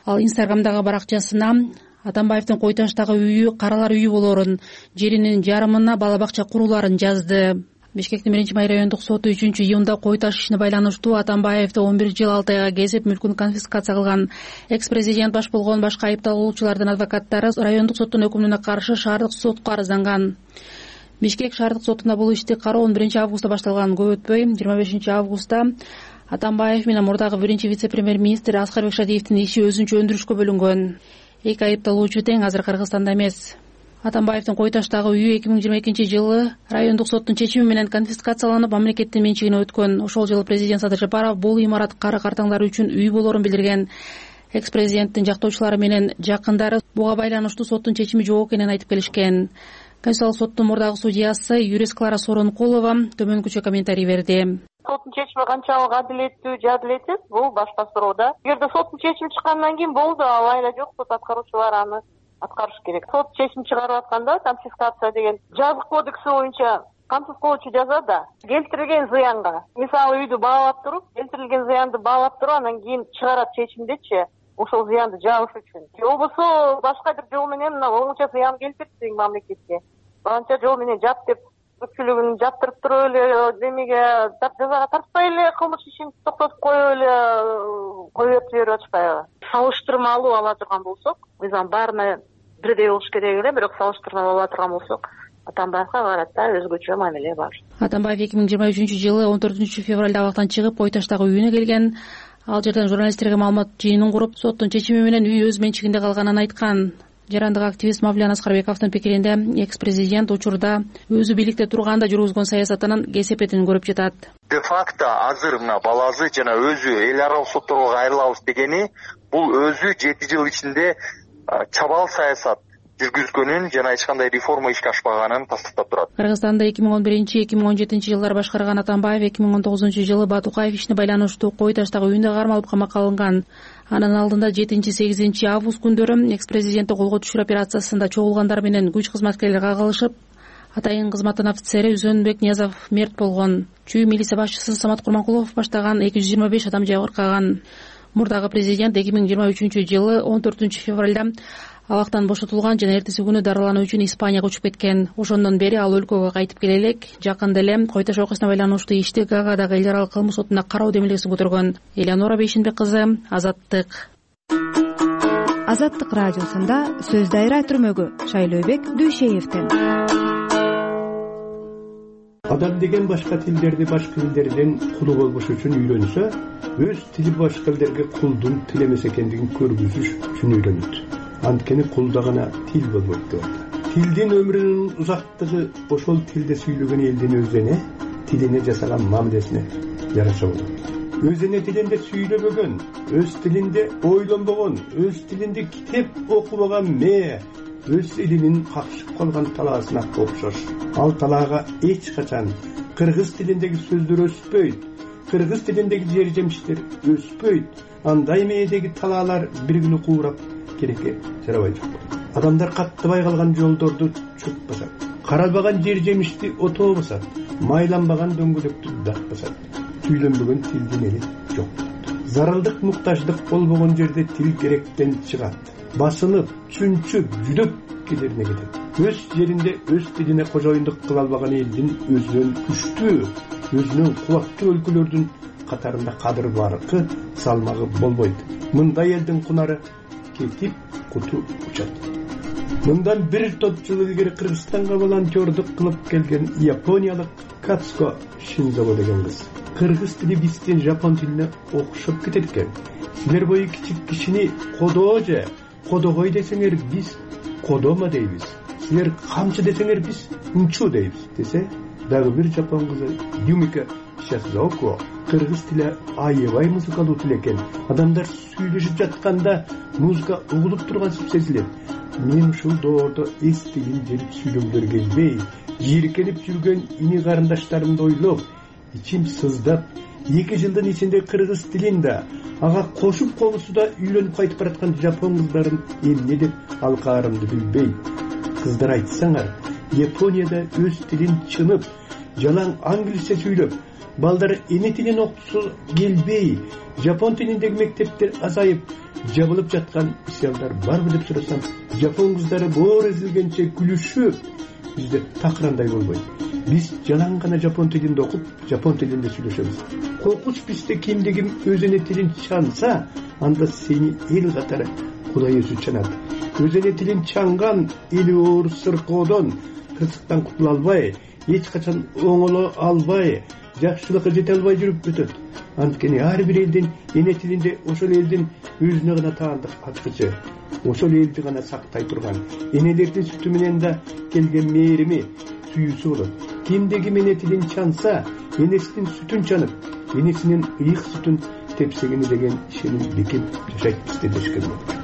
Ал Инстаграмдагы баракчасына Атамбаевдин Кой Таштагы үйү каралар үйү болоорун, жеринин жарымына бала бакча куруларын жазды. Бишкектин 1-Май райондук соту 3-июнда Кой Таш ишине байланыштуу Атамбаевди 11 жыл 6 айга кезип мүлкүн конфискация кылган. Экс-президент баш болгон башка айыпталуучулардын адвокаттары райондук соттун өкүмүнө каршы шаардык сотко арызданган. Бишкек шаардык сотунда бул ишти кароо 11 августта башталган. Көп өтпөй 25 августта Атамбаев менен мурдагы 1 вице-премьер-министр Аскарбек Шадиевдин иши өзүнчө өндүрүшкө бөлүнгөн. Эки айыпталуучу тең азыр Кыргызстанда эмес. Атамбаевдин Кой Таштагы үйү 2022 жылы райондук соттун чечими менен конфискацияланып, мамлекеттин менчигине өткөн. Ошол жылы президент Садыр Жапаров бул имарат кары картаңдары үчүн үй болоорун билдирген. Экс-президенттин жактоочулары менен жакындары буга байланыштуу соттун чечими жок экенин айтып келишкен. Конституциялык соттун мурдагы судьясы юрист Клара Соронкулова төмөнкүчө комментарий берди. Соттун чечими канчалык адилеттүү же адилетсиз, бул башка суроо да. Эгерде соттун чечими чыккандан кийин болду, алайда жок, сот аткаруучулар аны аткарыш керек. Сот чечим чыгарып атканда конфискация деген жазык кодекси боюнча камсыз кылуучу жаза да келтирилген зыянга, мисалы үйдү баалап туруп, келтирилген зыянды баалап туруп, анан кийин чыгарат чечимдечи ошол зыянды жабыш үчүн. Болбосо башка бир жол менен оңуча зыян келтирсең мамлекетке, анча жол менен жап деп көпчүлүгүн жаптырып туруп эле демеге жазага тартпай эле кылмыш ишин токтотуп коюп эле коюп жиберип атышпайбы? Салыштырмалуу ала турган болсок, мыйзам баарына бирдей болуш керек эле, бирок салыштырмалуу ала турган болсок, Атамбаевга карата өзгөчө мамиле бар. Атамбаев 2023-жылы 14-февралда абактан чыгып, Ой таштагы үйүнө келген. Ал жерден журналисттерге маалымат жыйынын куруп, соттун чечими менен үй өз менчигинде калганын айткан. Жарандык активист Мавлен Аскарбековдун пикиринде, экс-президент учурда өзү бийликте турганда жүргүзгөн саясатынын кесепетин көрүп жатат. Де факто азыр мына баласы жана өзү эл аралык сотторго кайрылабыз дегени, бул өзү 7 жыл ичинде чабал саясат жүргүзгөнүн жана эч кандай реформа ишке ашпаганын тастыктап турат. Кыргызстанда 2011-2017 жылдары башкарган Атамбаев 2019-жылы Батукаев ишине байланыштуу Кой таштагы үйүндө кармалып камакка алынган. Анын алдында 7-8 август күндөрү экс-президентти колго түшүрүү операциясында чогулгандар менен күч кызматкерлери кагылышып, атайын кызматтын офицери Үзөнбек Ниязов мерт болгон. Чүй милиция башчысы Самат Курманкулов баштаган 225 адам жабыркаган. Мурдагы президент 2023-жылы 14-февралда абактан бошотулган жана эртеси күнү дарылануу үчүн Испанияга учуп кеткен. Ошондон бери ал өлкөгө кайтып келе элек. Жакында эле Кой таш окуясына байланыштуу ишти Гаагадагы эл аралык кылмыш сотуна кароо демилгеси көтөргөн. Элеонора Бейшенбек кызы, Азаттык. Азаттык радиосунда сөз дайра түрмөгү Шайлообек Дүйшеевден. Адам деген башка тилдерди башка элдерден кулу болбош үчүн үйрөнсө, өз тили башка элдерге кулдун тил эмес экендигин көргүзүш үчүн үйрөнөт. Анткени кулда гана тил болбойт деп атат. Тилдин өмүрүнүн узактыгы ошол тилде сүйлөгөн элдин өзүнө, тилине жасаган мамилесине жараша болот. Өзүнө тилинде сүйлөбөгөн, өз тилинде ойлонбогон, өз тилинде китеп окубаган өз элинин какшып калган талаасына окшош. Ал талаага эч качан кыргыз тилиндеги сөздөр өспөйт, кыргыз тилиндеги жер жемиштер өспөйт. Андай мээдеги талаалар бир күнү куурап керекке жарабай жок. Адамдар каттабай калган жолдорду чөп басат, каралбаган жер жемишти отоо басат, майланбаган дөңгөлөктү дак басат. Сүйлөнбөгөн тилдин эли жок. Зарылдык, муктаждык болбогон жерде тил керектен чыгат. Басынып, чүнчүп, жүдөп кедерине кетет. Өз жеринде өз тилине кожоюндук кыла албаган элдин өзүнөн күчтүү, өзүнөн кубаттуу өлкөлөрдүн катарында кадыр баркы, салмагы болбойт. Мындай элдин кунары кетип куту учат. Мындан бир топ жыл илгери Кыргызстанга волонтердук кылып келген япониялык Кацко Шинзово деген кыз. Кыргыз тили биздин жапон тилине окшоп кетет экен. Силер бою кичик кишини кодоо же кодогой десеңер биз кодома дейбиз. Силер камчы десеңер биз унчу дейбиз десе, дагы бир жапон кызы Юмика Шасзоко кыргыз тили аябай музыкалуу тил экен. Адамдар сүйлөшүп жатканда музыка угулуп тургансып сезилет. Мен ушул доордо эс тилин жерип сүйлөгүлөр келбей, жийиркенип жүргөн ини карындаштарымды ойлоп, ичим сыздап, 2 жылдын ичинде кыргыз тилин да, ага кошуп конусуда үйлөнүп кайтып бараткан жапон кыздарын эмне деп алкаарымды билбей. Кыздар айтсаңар, Японияда өз тилин чынып, жалаң англисче сүйлөп, балдар эне тилин окутусу келбей, жапон тилиндеги мектептер азайып, жабылып жаткан мисалдар барбы деп сурасам, жапон кыздары боор эзилгенче күлүшүп, бизде такырандай болбойт. Биз жалаң гана жапон тилинде окуп, жапон тилинде сүйлөшөбүз. Коркуч бизде кимде ким өзүнө тилин чанса, анда сени эл катары Кудай өзү чанат. Өзүнө тилин чанган эли оор сыркоодон, кырсыктан кутула албай, эч качан оңоло албай, жакшылыкка жете албай жүрүп өтөт. Анткени ар бир элдин эне тилинде ошол элдин өзүнө гана таандык ачкычы, ошол элди гана сактай турган, энелердин сүтү менен да келген мээрими, сүйүүсү болот. Кимде ким эне тилин чанса, энесинин сүтүн чанып, энесинин ыйык сүтүн тепсегени деген ишеним бекем жашайт бизде дешкен болот.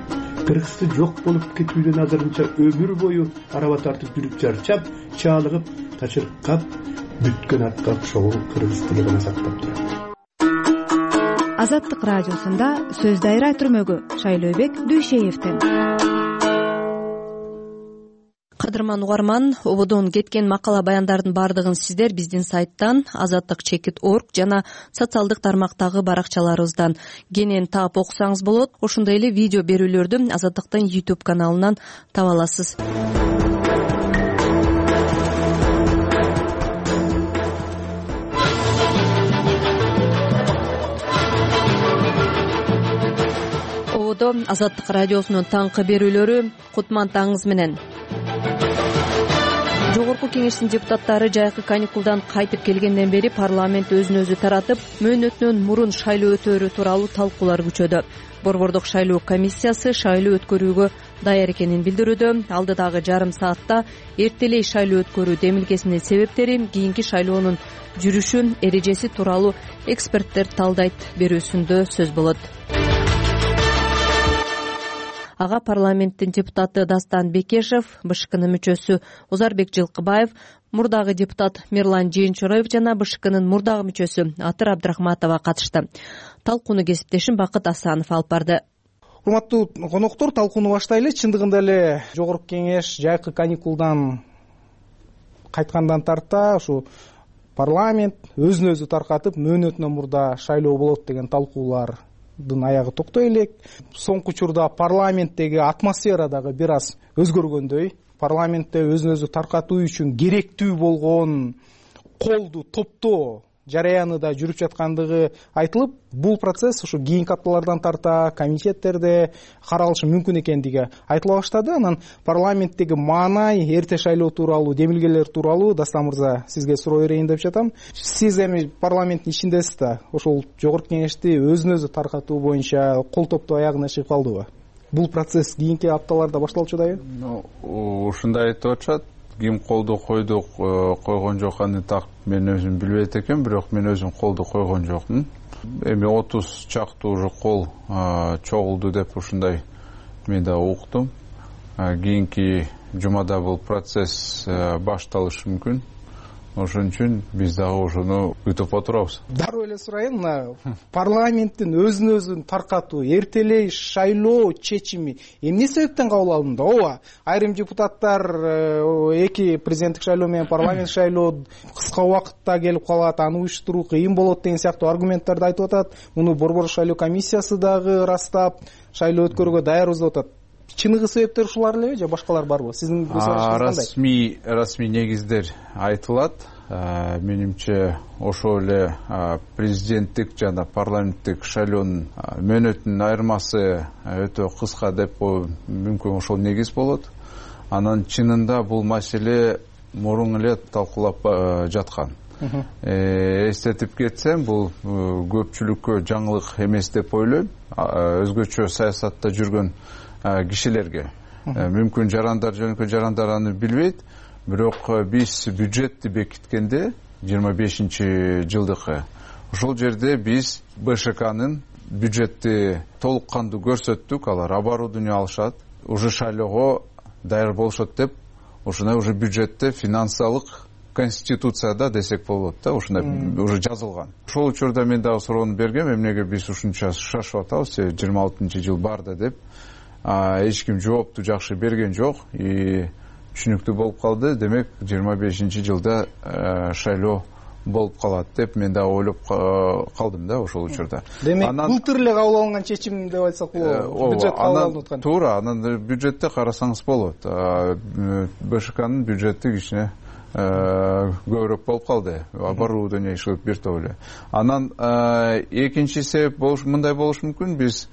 Кыргызды жок болуп кетүүдөн азырынча өмүр бою араба тартып жүрүп чарчап, чаалыгып, тачыркап, бүткөн атка окшогон кыргыз тили гана сактап турат. Азаттык радиосунда сөз дайра түрмөгү Шайлообек Дүйшеевден. Кадырман угарман, ободон кеткен макала баяндардын баардыгын сиздер биздин сайттан, azattik.org жана социалдык тармактагы баракчаларыбыздан кенен таап окусаңыз болот. Ошондой эле видео берүүлөрдү Азаттыктын YouTube каналынан таба аласыз. Ободо Азаттык радиосунун таңкы берүүлөрү. Кутман таңыңыз менен. Жогорку кеңештин депутаттары жайкы каникулдан кайтып келгенден бери парламент өзүн өзү таратып, мөөнөтүнөн мурун шайлоо өтөөрү тууралуу талкуулар күчөдү. Борбордук шайлоо комиссиясы шайлоо өткөрүүгө даяр экенин билдирүүдө. Алдыдагы жарым саатта эртелей шайлоо өткөрүү демилгесинин себептери, кийинки шайлоонун жүрүшү, эрежеси тууралуу эксперттер талдайт берүүсүндө сөз болот. Ага парламенттин депутаты Дастан Бекешев, БШКнын мүчөсү Озарбек Жылкыбаев, мурдагы депутат Мирлан Жээнчороев жана БШКнын мурдагы мүчөсү Атыр Абдрахматова катышты. Талкууну кесиптешим Бакыт Асанов алып барды. Урматтуу коноктор, талкууну баштайлы. Чындыгында эле Жогорку кеңеш жайкы каникулдан кайткандан тарта ушу парламент өзүн өзү таркатып, мөөнөтүнөн мурда шайлоо болот деген талкуулардын аягы токтой элек. Соңку учурда парламенттеги атмосфера дагы бир аз өзгөргөндөй. Парламентте өзүн өзү таркатуу үчүн керектүү болгон колду топтоо жараяны да жүрүп жаткандыгы айтылып, бул процесс ушу кийинки апталардан тарта комитеттерде каралышы мүмкүн экендиги айтыла баштады. Анан парламенттеги маанай, эрте шайлоо тууралуу, демилгелер тууралуу Дастан мырза сизге суроо берейин деп жатам. Сиз эми парламенттин ичиндесиз да, ошол Жогорку кеңешти өзүн өзү таркатуу боюнча кол топтоо аягына чыгып калдыбы? Бул процесс кийинки апталарда башталчу дайы? Ушундай айтып атышат. Ким колду койду, койгон жок, аны так мен өзүм билбейт экен, бирок мен өзүм колду койгон жокмун. Эми 30 чактуу уже кол чогулду деп ушундай мен да уктум. Кийинки жумада бул процесс башталышы мүмкүн. Ошон үчүн биз дагы ошону күтүп отурабыз. Дароо эле сурайын, парламенттин өзүн өзүн таркатуу, эртелей шайлоо чечими эмне себептен кабыл алынды? Ооба, айрым депутаттар эки президенттик шайлоо менен парламент шайлоо кыска убакытта келип калат, аны уюштуруу кыйын болот деген сыяктуу аргументтерди айтып атат. Муну Борбордук шайлоо комиссиясы дагы ырастап, шайлоо өткөрүүгө даярбыз деп атат. Чыныгы себептер ушулар элеби же башкалар барбы? Сиздин көз карашыңыз кандай? Расмий негиздер айтылат. Менимче ошол эле президенттик жана парламенттик шайлоонун мөөнөтүнүн айырмасы өтө кыска деп мүмкүн ошол негиз болот. Анан чынында бул маселе мурун эле талкуулап жаткан. Эстетип кетсем, бул көпчүлүккө жаңылык эмес деп ойлойм. Өзгөчө саясатта жүргөн кишилерге мүмкүн жарандар, жөнөкөй жарандар аны билбейт, бирок биз бюджетти бекиткенде 25-жылдыкы ошол жерде биз БШКнын бюджетти толук кандуу көрсөттүк. Алар оборудование алышат, уже шайлоого даяр болушат деп ушундай уже бюджетте финансылык конституцияда десек болот да, ушундай уже жазылган. Ошол учурда мен дагы суроону бергем, эмнеге биз ушунча шашып атабыз, 26-жыл барда деп. Эч ким жоопту жакшы берген жок, түшүнүктүү болуп калды. Демек 25-жылда шайлоо болуп калат деп мен да ойлоп калдым да ошол учурда. Демек былтыр эле кабыл алынган чечим деп айтсак болобу? Бюджет кабыл алынып аткан. Туура, анан бюджетте карасаңыз болот. БШКнын бюджети кичине көбүрөөк болуп калды. Оборудование иштеп бир топ эле. Анан экинчи себеп мындай болушу мүмкүн. Биз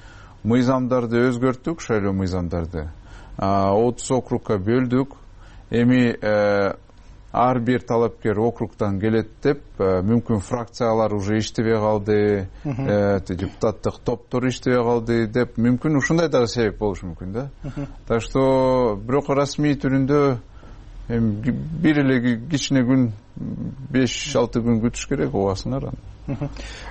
мыйзамдарды өзгөрттүк, шайлоо мыйзамдарды. 30 округка бөлдүк. Эми ар бир талапкер округтан келет деп, мүмкүн фракциялар уже иштебей калды, депутаттык топтор иштебей калды деп, мүмкүн ушундай дагы себеп болушу мүмкүн да. Так что бирок расмий түрүндө бир эле кичине күн, 5-6 күн күтүш керек, убасыңар аны.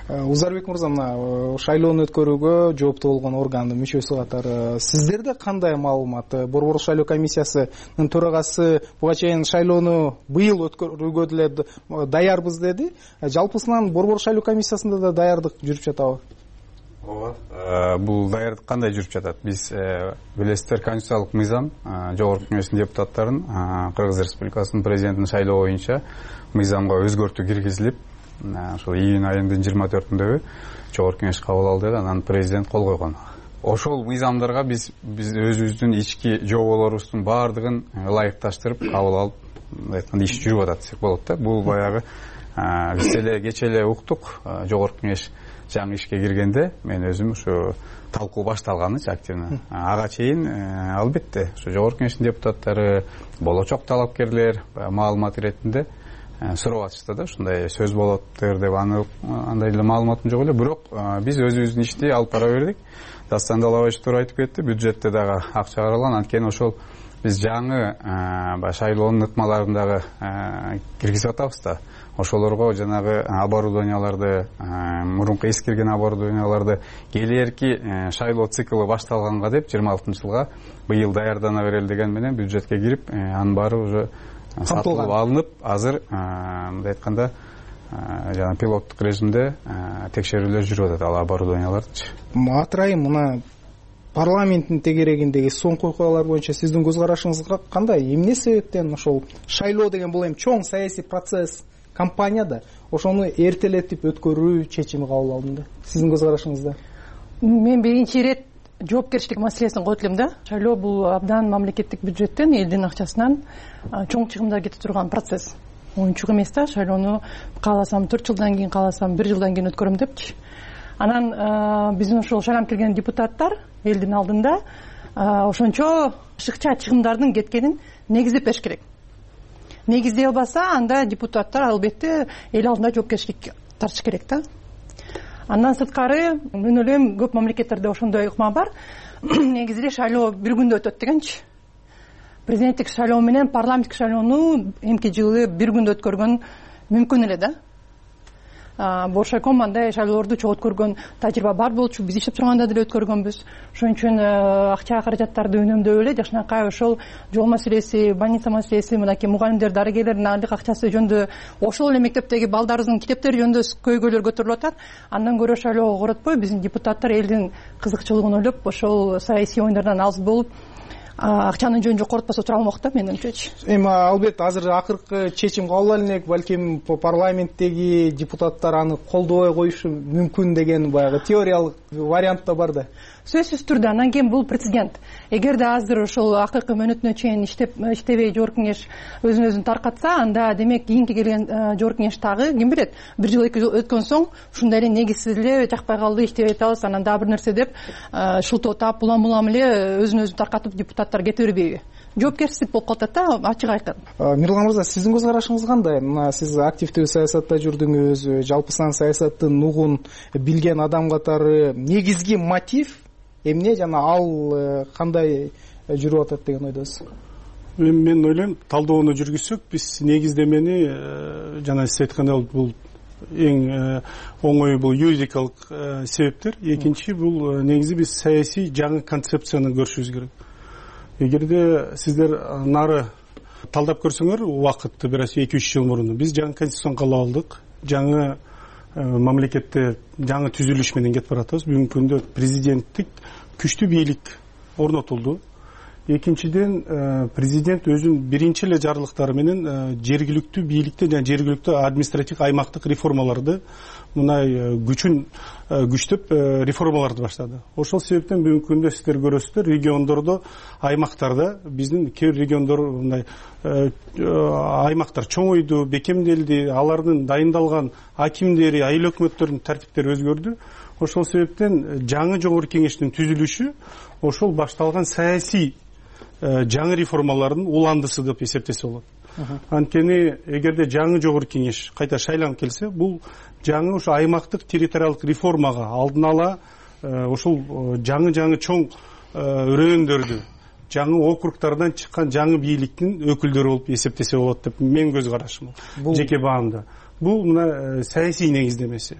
Узарбек мырза, мына шайлоону өткөрүүгө жооптуу болгон органдын мүчөсү катары сиздерде кандай маалымат? Борбордук шайлоо комиссиясынын төрагасы буга чейин шайлоону быйыл өткөрүүгө деле даярбыз деди. Жалпысынан Борбордук шайлоо комиссиясында да даярдык жүрүп жатабы? Ооба. Бул даярдык кандай жүрүп жатат? Биз билесиздер, конституциялык мыйзам Жогорку кеңештин депутаттарын Кыргыз Республикасынын президентин шайлоо боюнча мыйзамга өзгөртүү киргизилип, ошол июнь айынын 24-үндөгү Жогорку кеңеш кабыл алды, анан президент кол койгон. Ошол мыйзамдарга биз өзүбүздүн ички жоболорубуздун баардыгын ылайыкташтырып кабыл алып, айтканда иш жүрүп атат десек болот да. Бул баягы биз эле кечээ эле уктук, Жогорку кеңеш жаңы ишке киргенде мен өзүм ушу талкуу башталганычы активно ага чейин албетте ушу жогорку кеңештин депутаттары болочок талапкерлер маалымат иретинде сурап атышты да ушундай сөз болоттур деп андай эле маалыматым жок эле бирок биз өзүбүздүн ишти алып бара бердик. Дастан Далабаевич туура айтып кетти, бюджетте дагы акча каралган, анткени ошол биз жаңы шайлоонун ыкмаларын дагы киргизип атабыз да. Ошолорго жанагы оборудованияларды, мурунку эскирген оборудованияларды келээрки шайлоо циклы башталганга деп 26-жылга быйыл даярдана берели деген менен бюджетке кирип, анын баары уже сатылып алынып, азыр мындай айтканда жана пилоттук режимде текшерүүлөр жүрүп атат ал оборудованиялардычы. Атырайым мына парламенттин тегерегиндеги соңку окуялар боюнча сиздин көз карашыңыз кандай? Эмне себептен ошол шайлоо деген бул эми чоң саясий процесс, кампания да, ошону эртелетип өткөрүү чечими кабыл алынды? Сиздин көз карашыңызда? Мен биринчи ирет жоопкерчилик маселесин коет элем да. Шайлоо бул абдан мамлекеттик бюджеттен, элдин акчасынан чоң чыгымдар кетип турган процесс. Оюнчук эмес да, шайлоону кааласам 4 жылдан кийин, кааласам 1 жылдан кийин өткөрөм депчи. Анан биздин ошол шайланып келген депутаттар элдин алдында ошончо ашыкча чыгымдардын кеткенин негиздеп бериш керек. Негиздей албаса, анда депутаттар албетте эл алдында жоопкерчилик тартыш керек да. Андан сырткары мен ойлойм көп мамлекеттерде ошондой ыкма бар. Негизи эле шайлоо бир күндө өтөт дегенчи. Президенттик шайлоо менен парламенттик шайлоону эмки жылы бир күндө өткөргөн мүмкүн эле да. Боршайком андай шайлоолорду чогуу өткөргөн тажрыйба бар болчу, биз иштеп турганда деле өткөргөнбүз. Ошон үчүн акча каражаттарды үнөмдөп эле жакшынакай ошол жол маселеси, больница маселеси, мынакей мугалимдер, дарыгерлердин айлык акчасы жөнүндө, ошол эле мектептеги балдарыбыздын китептери жөнүндө көйгөйлөр көтөрүлүп атат. Андан көрө шайлоого коротпой биздин депутаттар элдин кызыкчылыгын ойлоп, ошол саясий оюндардан алыс болуп акчанын жөнүн жокоротпосо тура алмак да, менин оюмчачы. Эми албетте азыр акыркы чечим кабыл алынат, балким парламенттеги депутаттар аны колдобой коюшу мүмкүн деген баягы теориялык вариант да бар да. Сөзсүз түрдө анан кийин бул прецедент. Эгерде азыр ошол акыркы мөөнөтүнө чейин иштебей жогорку кеңеш өзүн таркатса, анда демек кийинки келген жогорку кеңеш дагы ким билет, 1 жыл 2 жыл өткөн соң ушундай эле негизсиз эле жакпай калды, иштебей атабыз, анан дагы бир нерсе деп шылтоо таап улам эле өзүн таркатып депутаттар кете бербейби? Жоопкерчилик болуп калат да, ачык айкын. Мирлан мырза, сиздин көз карашыңыз кандай? Мына сиз активдүү саясатта жүрдүңүз, жалпы сан саясаттын нугун билген адам катары негизги мотив эмне жана ал кандай жүрүп атат деген ойдосуз? Мен ойлойм, талдоону жүргүзсөк, биз негиздемени жана сиз айткандай бул эң оңой бул юридикалык себептер. Экинчи бул негизи биз саясий жаңы концепцияны көрүшүбүз керек. Эгерде сиздер нары талдап көрсөңөр, убакытты бир 2-3 жыл мурун биз жаңы конституцияны кабыл алдык. Жаңы мамлекетте жаңы түзүлүш менен кетип баратабыз. Бүгүнкү күндө президенттик күчтүү бийлик орнотулду. Экинчиден, президент өзүнүн биринчи эле жарлыктары менен жергиликтүү бийликте жана жергиликтүү административдик аймактык реформаларды мындай күчтөп реформаларды баштады. Ошол себептен бүгүнкү күндө сиздер көрөсүздөр, региондордо, аймактарда биздин кээ бир региондор мындай аймактар чоңойду, бекемделди, алардын дайындалган акимдери, айыл өкмөттөрүнүн тартиптери өзгөрдү. Ошол себептен жаңы жогорку кеңештин түзүлүшү ошол башталган саясий жаңы реформалардын уландысы деп эсептесе болот. Анткени эгерде жаңы жогорку кеңеш кайта шайланып келсе, бул жаңы ошо аймактык территориалдык реформага алдын ала ошол жаңы чоң өрөөндөрдү, жаңы округтардан чыккан жаңы бийликтин өкүлдөрү болуп эсептесе болот деп мен көз карашым. Жеке баамда. Бул мына саясий негиздемеси.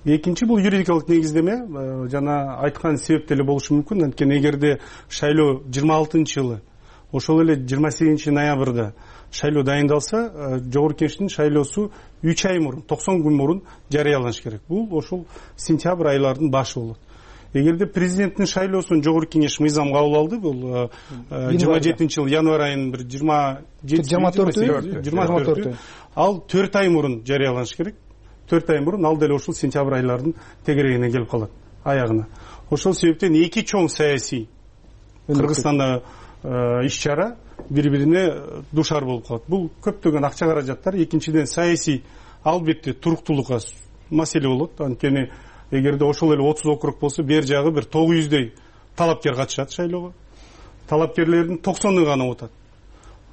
Экинчи бул юридикалык негиздеме, жана айткан себеп деле болушу мүмкүн. Анткени эгерде шайлоо 26-жылы, ошол эле 28-ноябрда шайлоо дайындалса, жогорку кеңештин шайлоосу 3 ай мурун, 90 күн мурун жарыяланыш керек. Бул ошол сентябрь айларынын башы болот. Эгерде президенттин шайлоосун жогорку кеңеш мыйзам кабыл алды, бул 27-жылы январь айынын бир 24-24 ал 4 ай мурун жарыяланыш керек. 4 ай мурун ал деле ошол сентябрь айларынын тегерегине келип калат, аягына. Ошол себептен эки чоң саясий Кыргызстанда иш-чара бири-бирине душар болуп калат. Бул көптөгөн акча каражаттар, экинчиден саясий албетте туруктуулукка маселе болот. Анткени эгерде ошол эле 30 округ болсо бер жагы бир 900дөй талапкер катышат шайлоого. Талапкерлердин 90ы гана отат.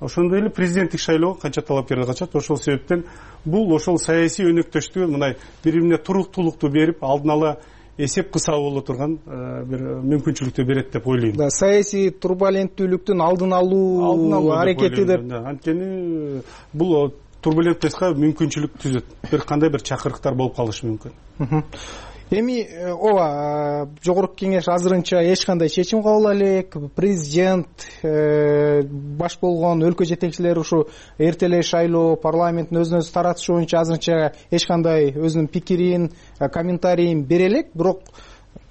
Ошондой эле президенттик шайлоого канча талапкерлер катышат. Ошол себептен бул ошол саясий өнөктөштүгү мындай бири-бирине туруктуулукту берип, алдын ала эсеп кысабы боло турган бир мүмкүнчүлүктү берет деп ойлойм. Саясий турбуленттүүлүктүн алдын алуу аракети деп. Анткени бул турбулентностька мүмкүнчүлүк түзөт. Бир кандай бир чакырыктар болуп калышы мүмкүн. Эми ооба жогорку кеңеш азырынча эч кандай чечим кабыл элек. Президент баш болгон өлкө жетекчилери ушу эртелей шайлоо, парламенттин өзүн өзү таратышы боюнча азырынча эч кандай өзүнүн пикирин, комментарийин бере элек. Бирок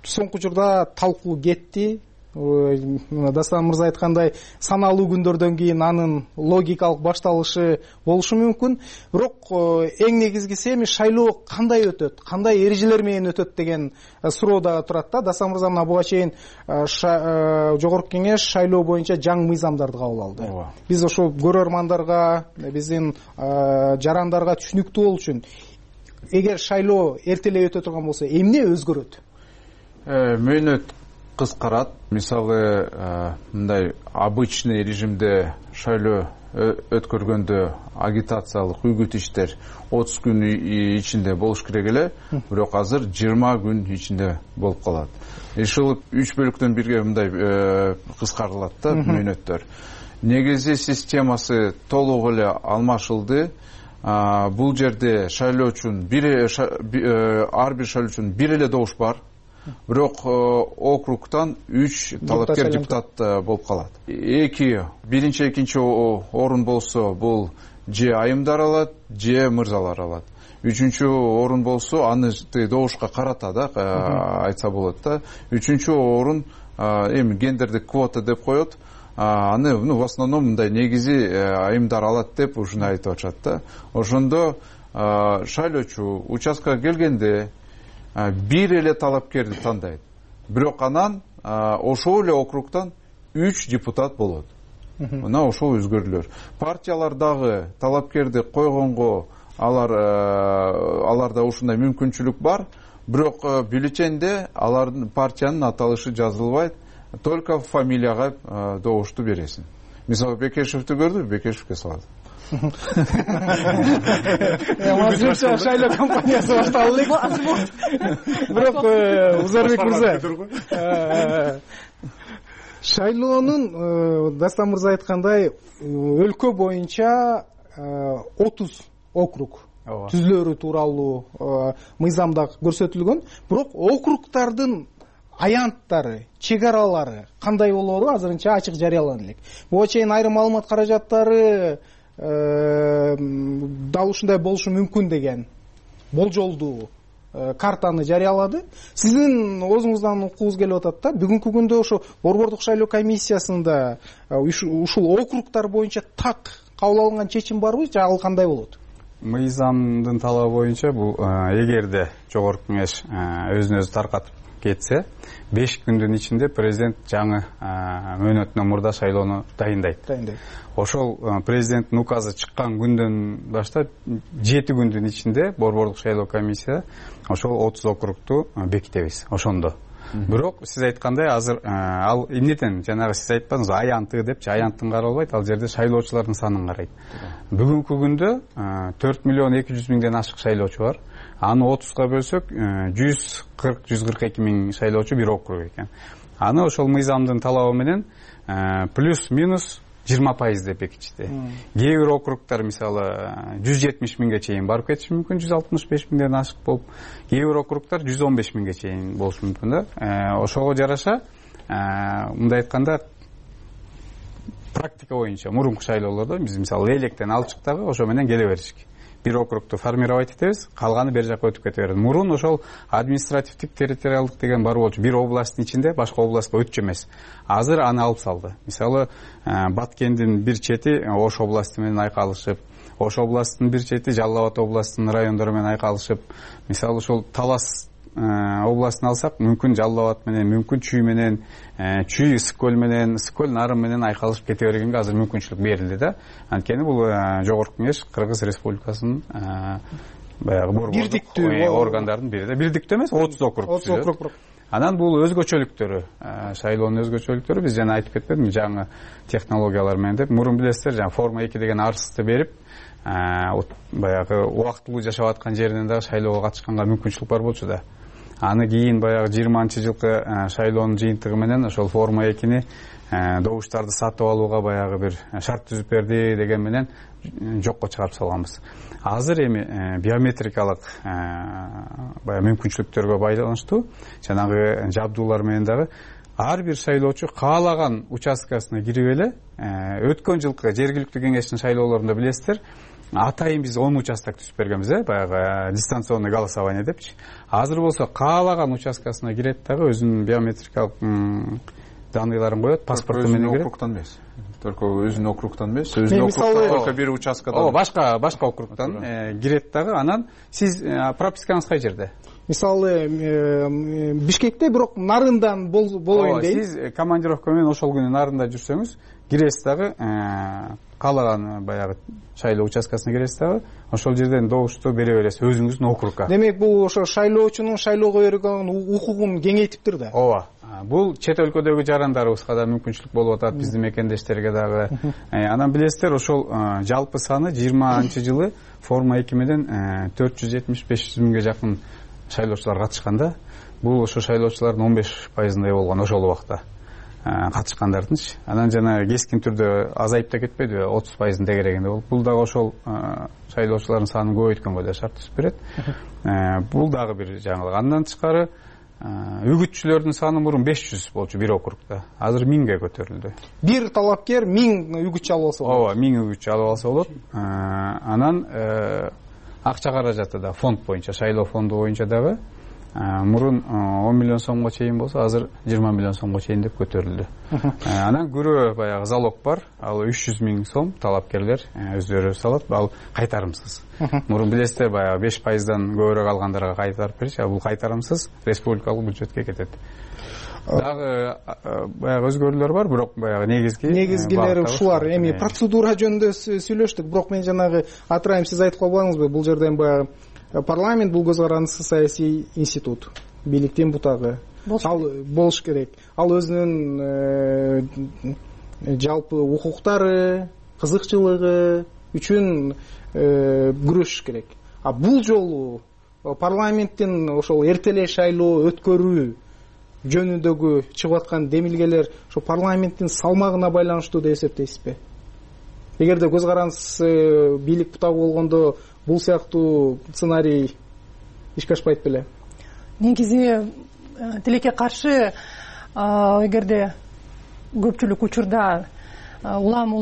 соңку учурда талкуу кетти. Дастан мырза айткандай, саналуу күндөрдөн кийин анын логикалык башталышы болушу мүмкүн. Бирок эң негизгиси эми шайлоо кандай өтөт, кандай эрежелер менен өтөт деген суроо да турат да. Дастан мырза мына буга чейин жогорку кеңеш шайлоо боюнча жаңы мыйзамдарды кабыл алды. Биз ошо көрөрмандарга, биздин жарандарга түшүнүктүү болуу үчүн эгер шайлоо эртелей өтө турган болсо эмне өзгөрөт? Мөөнөт кыскарат. Мисалы, мындай обычный режимде шайлоо өткөргөндө агитациялык үгүт иштер 30 күн ичинде болуш керек эле, бирок азыр 20 күн ичинде болуп калат. Ушул 3 бөлүктөн бирге мындай кыскарылат да мөөнөттөр. Негизи системасы толук эле алмашылды. Бул жерде шайлоо үчүн ар бир шайлоо үчүн бир эле добуш бар. Бирок округтан 3 талапкер депутат болуп калат. Биринчи, экинчи орун болсо бул же айымдар алат, же мырзалар алат. Үчүнчү орун болсо аны добушка карата да айтса болот да. Үчүнчү орун эми гендердик квота деп коет. Аны в основном мындай негизи айымдар алат деп ушуну айтып атышат да. Ошондо шайлоочу участкага келгенде бир эле талапкерди тандайт. Бирок анан ошол эле округтан 3 депутат болот. Мына ошол өзгөрүүлөр. Партиялар дагы талапкерди койгонго аларда ушундай мүмкүнчүлүк бар. Бирок бюллетенде алардын партиянын аталышы жазылбайт. Только фамилияга добушту бересиң. Мисалы Бекешевди көрдү, Бекешевге салат. Азырынча шайлоо компаниясы башталды элек. Бирок Узарбек мырза, шайлоонун Дастан мырза айткандай өлкө боюнча 30 округ түзүлөрү тууралуу мыйзамда көрсөтүлгөн. Бирок округдардын аянттары, чек аралары кандай болоору азырынча ачык жарыялана элек. Буга чейин айрым маалымат каражаттары дал ушундай болушу мүмкүн деген болжолдуу картаны жарыялады. Сиздин өзүңүздөн укугуз келип атат да. Бүгүнкү күндө ошо борбордук шайлоо комиссиясында ушул округтар боюнча так кабыл алынган чечим барбы же ал кандай болот? Мыйзамдын талабы боюнча бул эгерде жогорку кеңеш өзүн өзү таркатып кетсе 5 күндүн ичинде президент жаңы мөөнөттөн мурда шайлоону дайындайт. Ошол президенттин указы чыккан күндөн баштап 7 күндүн ичинде борбордук шайлоо комиссия ошол 30 округту бекитебиз ошондо. Бирок сиз айткандай азыр ал эмнеден жанагы сиз айтпадыңызбы аянты депчи, аянттын каралбайт, ал жерде шайлоочулардын санын карайт. Бүгүнкү күндө 4 миллион 200 миңден ашык шайлоочу бар. Аны 30га бөлсөк 140-142 миң шайлоочу бир округ экен. Аны ошол мыйзамдын талабы менен плюс-минус 20% деп бекитишти. Кээ бир округтар мисалы 170 миңге чейин барып кетиши мүмкүн, 165 миңден ашык болуп, кээ бир округтар 115 миңге чейин болушу мүмкүн да. Ошого жараша мындай айтканда практика боюнча мурунку шайлоолордо биз мисалы электен алчыктагы ошо менен келе беришик. Бир округту формировать этебиз, калганы бер жакка өтүп кете берет. Мурун ошол административдик территориалдык деген бар болчу. Бир областтын ичинде башка областка өтчү эмес. Азыр аны алып салды. Мисалы Баткендин бир чети Ош областы менен айкалышып, Ош областынын бир чети Жалал Абад областынын райондору менен айкалышып, мисалы ошол Талас областын алсак, мүмкүн Жалал Абад менен, мүмкүн Чүй менен, Чүй Ысык-Көл менен, Ысык-Көл Нарын менен айкалышып кете бергенге азыр мүмкүнчүлүк берилди да. Анткени бул жогорку кеңеш Кыргыз Республикасынын баягы борбордук органдардын бири да, бирдиктүү эмес, 30 округ. Анан бул өзгөчөлүктөрү, шайлоонун өзгөчөлүктөрү, биз жана айтып кетпедимби, жаңы технологиялар менен деп. Мурун билесиздер, жаңы форма 2 деген арызды берип, баягы убактылуу жашап аткан жеринен дагы шайлоого катышканга мүмкүнчүлүк бар болчу да. Аны кийин баягы 20-жылкы шайлоонун жыйынтыгы менен ошол форма 2-ни добуштарды сатып алууга баягы бир шарт түзүп берди деген менен жокко чыгарып салганбыз. Азыр эми биометрикалык баягы мүмкүнчүлүктөргө байланыштуу жанагы жабдуулар менен дагы ар бир шайлоочу каалаган участкасына кирип эле, өткөн жылкы жергиликтүү кеңештин шайлоолорунда билесиздер, атайын биз 10 участок түзүп бергенбиз, баягы дистанционный голосование депчи. Азыр болсо каалаган участкасына кирет дагы өзүнүн биометрикалык данныйларын коет, паспорту менен кирет. Округтан эмес. Только өзүнүн округтан эмес, өзүнүн округтан только бир участкадан. Башка округтан кирет дагы. Анан сиз пропискаңыз кай жерде? Мисалы Бишкекте, бирок нарындан болоюн дейт. Сиз командировка менен ошол күнү нарында жүрсөңүз, киресиз дагы, каалаган баягы шайлоо участкасына киресиз дагы, ошол жерден добушту бере бересиз өзүңүздүн округга. Демек бул ошо шайлоочунун шайлоого берген укугун кеңейтиптир да. Ооба. Бул чет өлкөдөгү жарандарыбызга да мүмкүнчүлүк болуп атат, биздин мекендештерге дагы. Анан билесиздер, ошол жалпы саны 20-жылы форма 2 менен 475 миңге жакын шайлоочулар катышкан да. Бул ошо шайлоочулардын 15%-ындай болгон ошол убакта катышкандардынчы. Анан жана кескин түрдө азайып да кетпеди, 30%-ын тегерегинде болуп. Бул дагы ошол шайлоочулардын санын көбөйткөнгө да шарт түзүп берет. Бул дагы бир жаңылык. Андан тышкары үгүтчүлөрдүн саны мурун 500 болчу бир округда. Азыр 1000ге көтөрүлдү. Бир талапкер 1000 үгүтчү алып алса болот. Ооба, 1000 үгүтчү алып алса болот. Анан акча каражаты да фонд боюнча, шайлоо фонду боюнча дагы мурун 10 миллион сомго чейин болсо, азыр 20 миллион сомго чейин деп көтөрүлдү. Анан күрөө баягы залог бар, ал 300 миң сом талапкерлер өздөрү салат, ал кайтарымсыз. Мурун билесиздер, баягы 5%-дан көбүрөөк алгандарга кайтарып бериши, бул кайтарымсыз республикалык бюджетке кетет. Дагы баягы өзгөрүүлөр бар, бирок баягы негизгилери ушулар. Эми процедура жөнүндө сүйлөштүк, бирок мен жанагы атырайым, сиз айтып калбадыңызбы, бул жерден баягы парламент бул көз карандысыз саясий институт, бийликтин бутагы. Ал болуш керек. Ал өзүнүн жалпы укуктары, кызыкчылыгы үчүн күрөшүш керек. А бул жолу парламенттин ошол эртелей шайлоо өткөрүү жөнүндөгү чыгып аткан демилгелер ошо парламенттин салмагына байланыштуу деп эсептейсизби? Эгерде көз карандысыз бийлик бутагы болгондо бул сыяктуу сценарий ишке ашпайт беле? Негизи тилекке каршы, эгерде көпчүлүк учурда улам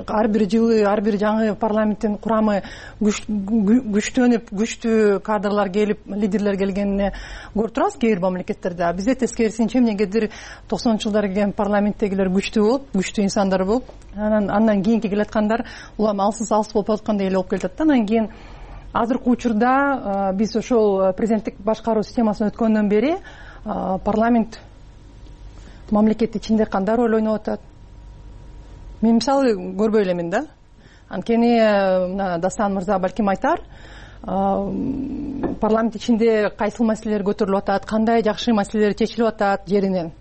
ар бир жылы ар бир жаңы парламенттин курамы күчтөнүп, күчтүү кадрлар келип, лидерлер келгенине көрүп турабыз кээ бир мамлекеттерде. Бизде тескерисинче эмнегедир 90-жылдары келген парламенттегилер күчтүү болуп, күчтүү инсандар болуп, андан кийинки келаткандар улам алсыз болуп аткандай эле болуп келатат. Анан кийин азыркы учурда биз ошол президенттик башкаруу системасына өткөндөн бери парламент мамлекет ичинде кандай роль ойноп атат? Мен мисалы көрбөй элемин да. Анткени Дастан мырза балким айтар, парламент ичинде кайсыл маселелер көтөрүлүп атат, кандай жакшы маселелер чечилип атат жеринен.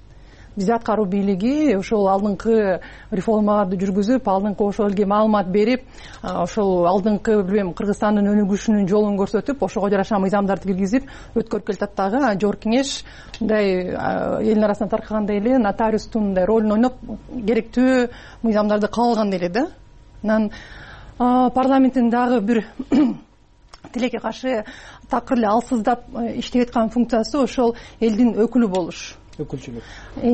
Бизде аткаруу бийлиги ошол алдыңкы реформаларды жүргүзүп, алдыңкы ошол элге маалымат берип, ошол алдыңкы билбейм Кыргызстандын өнүгүшүнүн жолун көрсөтүп, ошого жараша мыйзамдарды киргизип өткөрүп келатат дагы. Жогорку кеңеш мындай элдин арасына таркагандай эле нотариустун мындай ролун ойноп, керектүү мыйзамдарды кабыл алгандай эле да. Анан парламенттин дагы бир тилекке каршы такыр эле алсыздап иштеп аткан функциясы ошол элдин өкүлү болуш. Өкүлчүлүк.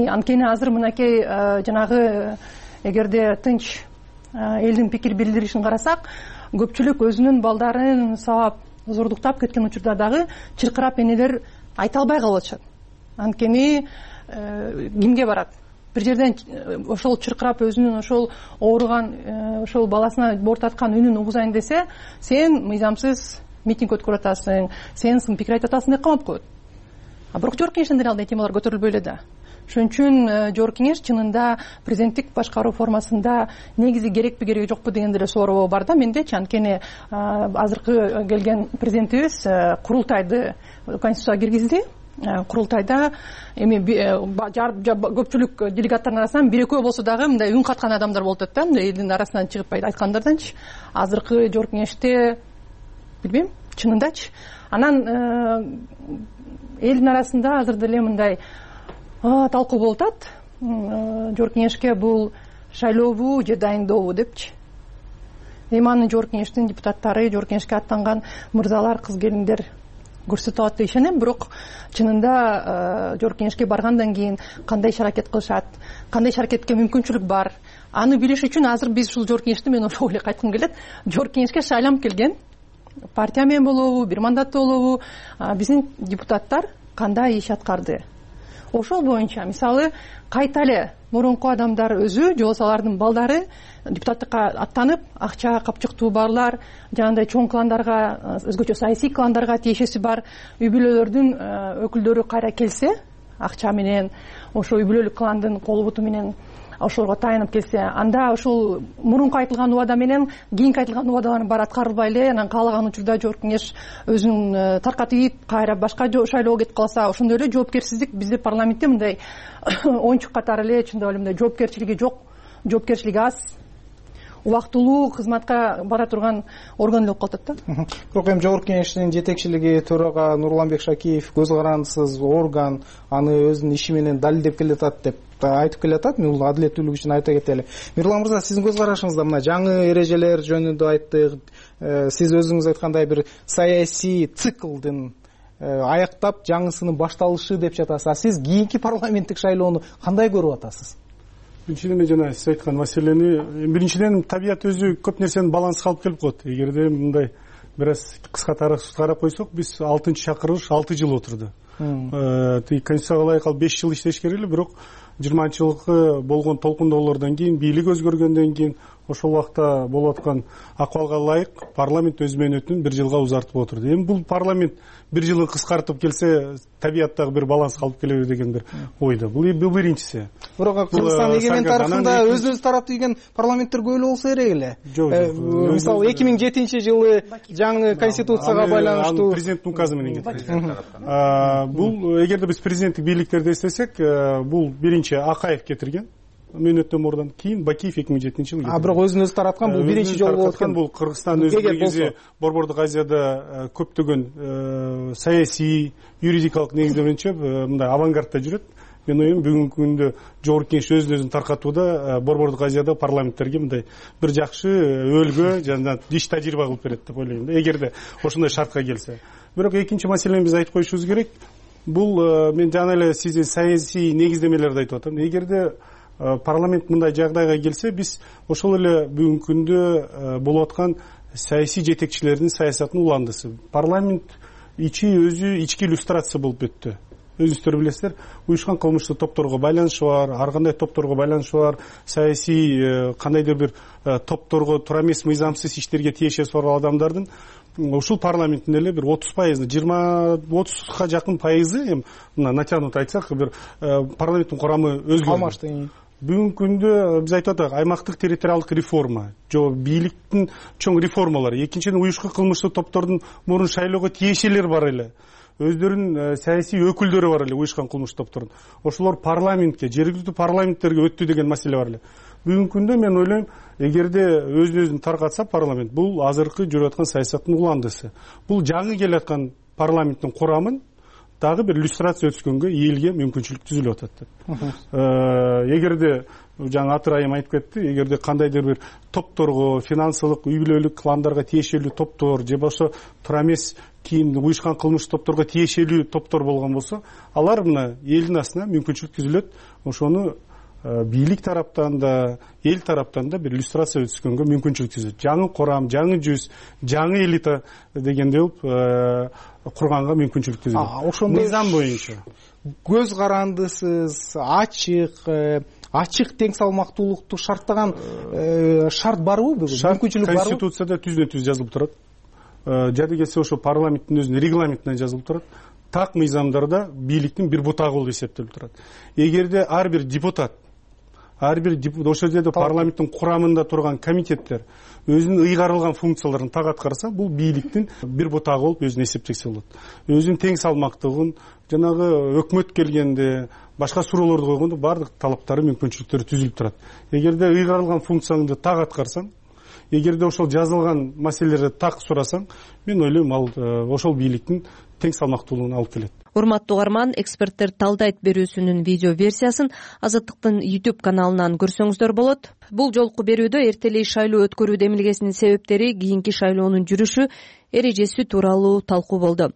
Анткени азыр мынакей жанагы эгерде тынч элдин пикир билдиришин карасак, көпчүлүк өзүнүн балдарын сабап, зордуктап кеткен учурда дагы чыркырап энелер айта албай калып атышат. Анткени кимге барат? Бир жерден ошол чыркырап өзүнүн ошол ооруган, ошол баласына бортаткан үнүн угузайын десе, сен мыйзамсыз митинг өткөрүп атасың, сен сын пикир айтып атасың деп камап коет. Бирок жогорку кеңештен деле андай темалар көтөрүлбөй эле да. ошон үчүн жогорку кеңеш чынында президенттик башкаруу формасында негизи керекпи кереги жокпу деген деле соороо бар да мендечи. Анткени азыркы келген президентибиз курултайды конституцияга киргизди. Курултайда эми көпчүлүк делегаттардын арасынан бир экөө болсо дагы мындай үн каткан адамдар болуп атат да, мындай элдин арасынан чыгып айткандарданчы. Азыркы жогорку кеңеште билбейм чынындачы. Анан элдин арасында азыр деле мындай талкуу болуп атат. Жогорку кеңешке бул шайлообу же дайындообу депчи. Эми аны жогорку кеңештин депутаттары, жогорку кеңешке аттанган мырзалар, кыз келиндер көрсөтүп атат деп ишенем. Бирок чынында жогорку кеңешке баргандан кийин кандай иш аракет кылышат, кандай иш аракетке мүмкүнчүлүк бар, аны билиш үчүн азыр биз ушул жогорку кеңеште мен ошого эле кайткым келет. Жогорку кеңешке шайланып келген партия менен болобу, бир мандаттуу болобу, биздин депутаттар кандай иш аткарды. Ошол боюнча мисалы кайта эле мурунку адамдар өзү же болбосо алардын балдары депутаттыкка аттанып, акча капчыктуу барлар, жанагындай чоң кландарга, өзгөчө саясий кландарга тиешеси бар үй бүлөлөрдүн өкүлдөрү кайра келсе, акча менен, ошо үй бүлөлүк кландын колу буту менен ошолорго таянып келсе, анда ушул мурунку айтылган убада менен кийинки айтылган убадалардын баары аткарылбай эле, анан каалаган учурда жогорку кеңеш өзүн таркатып, кайра башка шайлоого кетип калса, ошондой эле жоопкерсиздик бизде парламентте мындай оюнчук катары эле чындап эле мындай жоопкерчилиги жок, жоопкерчилиги аз, убактылуу кызматка бара турган орган эле болуп калып атат да. Бирок эми жогорку кеңештин жетекчилиги төрага Нурланбек Шакиев көз карандысыз орган, аны өзүнүн иши менен далилдеп келатат деп айтып келатат. Мен бул адилеттүүлүк үчүн айта кетели. Мирлан мырза, сиздин көз карашыңызда мына жаңы эрежелер жөнүндө айттык. Сиз өзүңүз айткандай бир саясий циклдын аяктап жаңысынын башталышы деп жатасыз. А сиз кийинки парламенттик шайлоону кандай көрүп атасыз? Биринчиден мен жана сиз айткан маселени, биринчиден табият өзү көп нерсени баланска алып келип коет. Эгерде мындай бир аз кыска тарыхты карап койсок, биз 6-чакырылыш 6 жыл отурду. Конституцияга ылайык 5 жыл иштеш керек эле, бирок 20-жылкы болгон толкундоолордон кийин, бийлик өзгөргөндөн кийин ошол убакта болуп аткан акыбалга ылайык парламент өз мөөнөтүн 1 жылга узартып отурду. Эми бул парламент 1 жылын кыскартып келсе, табияттагы бир баланска алып келеби деген бир ойдо. Бул биринчиси. Бирок Кыргызстан эгемен тарыхында өз тараптуу деген парламенттер көп эле болсо керек эле. Мисалы 2007-жылы жаңы конституцияга байланыштуу президенттин указы менен кетти. Бул эгерде биз президенттик бийликтерди эстесек, бул биринчи Акаев кетирген мөөнөттөн мурдан, кийин Бакиев 2007-жылы кетирген. Бирок өзүн өзү тараткан бул биринчи жолу болуп аткан. Бул Кыргызстан өз негизи Борбордук Азияда көптөгөн саясий, юридикалык негиздер боюнча мындай авангардда жүрөт. Мен оюм бүгүнкү күндө жогорку кеңеш өзүн таркатууда Борбордук Азияда парламенттерге мындай бир жакшы өлгө жана иш тажрыйба кылып берет деп ойлойм да, эгерде ошондой шартка келсе. Бирок экинчи маселени биз айтып коюшубуз керек. Бул мен жана эле сиздин саясий негиздемелерди айтып атам. Эгерде парламент мындай жагдайга келсе, биз ошол эле бүгүнкү күндө болуп аткан саясий жетекчилердин саясатынын уландысы. Парламент өзү ички иллюстрация болуп өттү. Өзүңүздөр билесиздер, уюшкан кылмыштуу топторго байланышы бар, ар кандай топторго байланышы бар, саясий кандайдыр бир топторго туура эмес мыйзамсыз иштерге тиешеси бар адамдардын ушул парламенттин эле бир 30%, 20-30га жакын пайызы, эми мына натянут айтсак, бир парламенттин курамы өзгөрдү. Бүгүнкү күндө биз айтып атабыз, аймактык территориалдык реформа, жо бийликтин чоң реформалары. Экинчиден, уюшкан кылмыштуу топтордун мурун шайлоого тиешелер бар эле. Өздөрүнүн саясий өкүлдөрү бар эле уюшкан кылмыштуу топтордун. Ошолор парламентке, жергиликтүү парламенттерге өттү деген маселе бар эле. Бүгүнкү күндө мен ойлойм, эгерде өзүн таркатса парламент, бул азыркы жүрүп аткан саясаттын уландысы. Бул жаңы келаткан парламенттин курамын дагы бир иллюстрация өткөнгө элге мүмкүнчүлүк түзүлүп атат. Эгерде жаңы Атыр айым айтып кетти, эгерде кандайдыр бир топторго, финансылык, үй бүлөлүк кландарга тиешелүү топтор же болбосо туура эмес кийин уюшкан кылмыштуу топторго тиешелүү топтор болгон болсо, алар мына элдин астына мүмкүнчүлүк түзүлөт. Ошону бийлик тараптан да, эл тараптан да бир иллюстрация өткөнгө мүмкүнчүлүк түзөт. Жаңы курам, жаңы жүз, жаңы элита дегендей болуп курганга мүмкүнчүлүк түзүлөт. Ошондой мыйзам боюнча көз карандысыз, ачык тең салмактуулукту шарттаган шарт барбы бүгүн? Мүмкүнчүлүк барбы? Конституцияда түздөн-түз жазылып турат. Жады келсе ошо парламенттин өзүнүн регламентине жазылып турат. так мыйзамдарда бийликтин бир бутагы болуп эсептелип турат. Эгерде ар бир депутат ошол жерде парламенттин курамында турган комитеттер өзүнүн ыйгарылган функцияларын так аткарса, бул бийликтин бир бутагы болуп өзүн эсептесе болот. Өзүнүн тең салмактыгын, жанагы өкмөт келгенде, башка суроолорду койгондо баардык талаптары, мүмкүнчүлүктөрү түзүлүп турат. Эгерде ыйгарылган функцияңды так аткарсаң, эгерде ошол жазылган маселелерди так сурасаң, мен ойлойм, ал ошол бийликтин тең салмактуулугуна алып келет. Урматтуу угарман, эксперттер талдайт берүүсүнүн видео версиясын Азаттыктын YouTube каналынан көрсөңүздөр болот. Бул жолку берүүдө эртелей шайлоо өткөрүү демилгесинин себептери, кийинки шайлоонун жүрүшү, эрежеси тууралуу талкуу болду.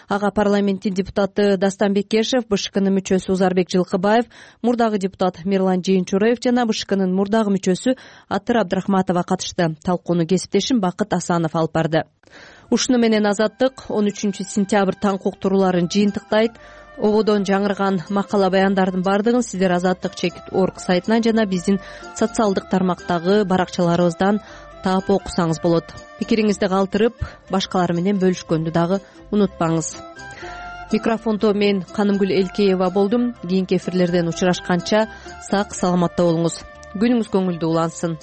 Ага парламенттин депутаты Дастан Бекешев, БШКнын мүчөсү Узарбек Жылкыбаев, мурдагы депутат Мирлан Жээнчураев жана БШКнын мурдагы мүчөсү Атыр Абдрахматова катышты. Талкууну кесиптешим Бакыт Асанов алып барды. Ушуну менен Азаттык 13 сентябрь таңкы уктурууларын жыйынтыктайт. Ободон жаңырган макала баяндардын бардыгын сиздер Азаттык.org сайтынан жана биздин социалдык тармактагы баракчаларыбыздан таап окусаңыз болот. Пикириңизди калтырып, башкалар менен бөлүшкөндү дагы унутпаңыз. Микрофондо мен Канымгүл Элкеева болдум. Кийинки эфирлерден учурашканча сак саламатта болуңуз. Күнүңүз көңүлдүү улансын.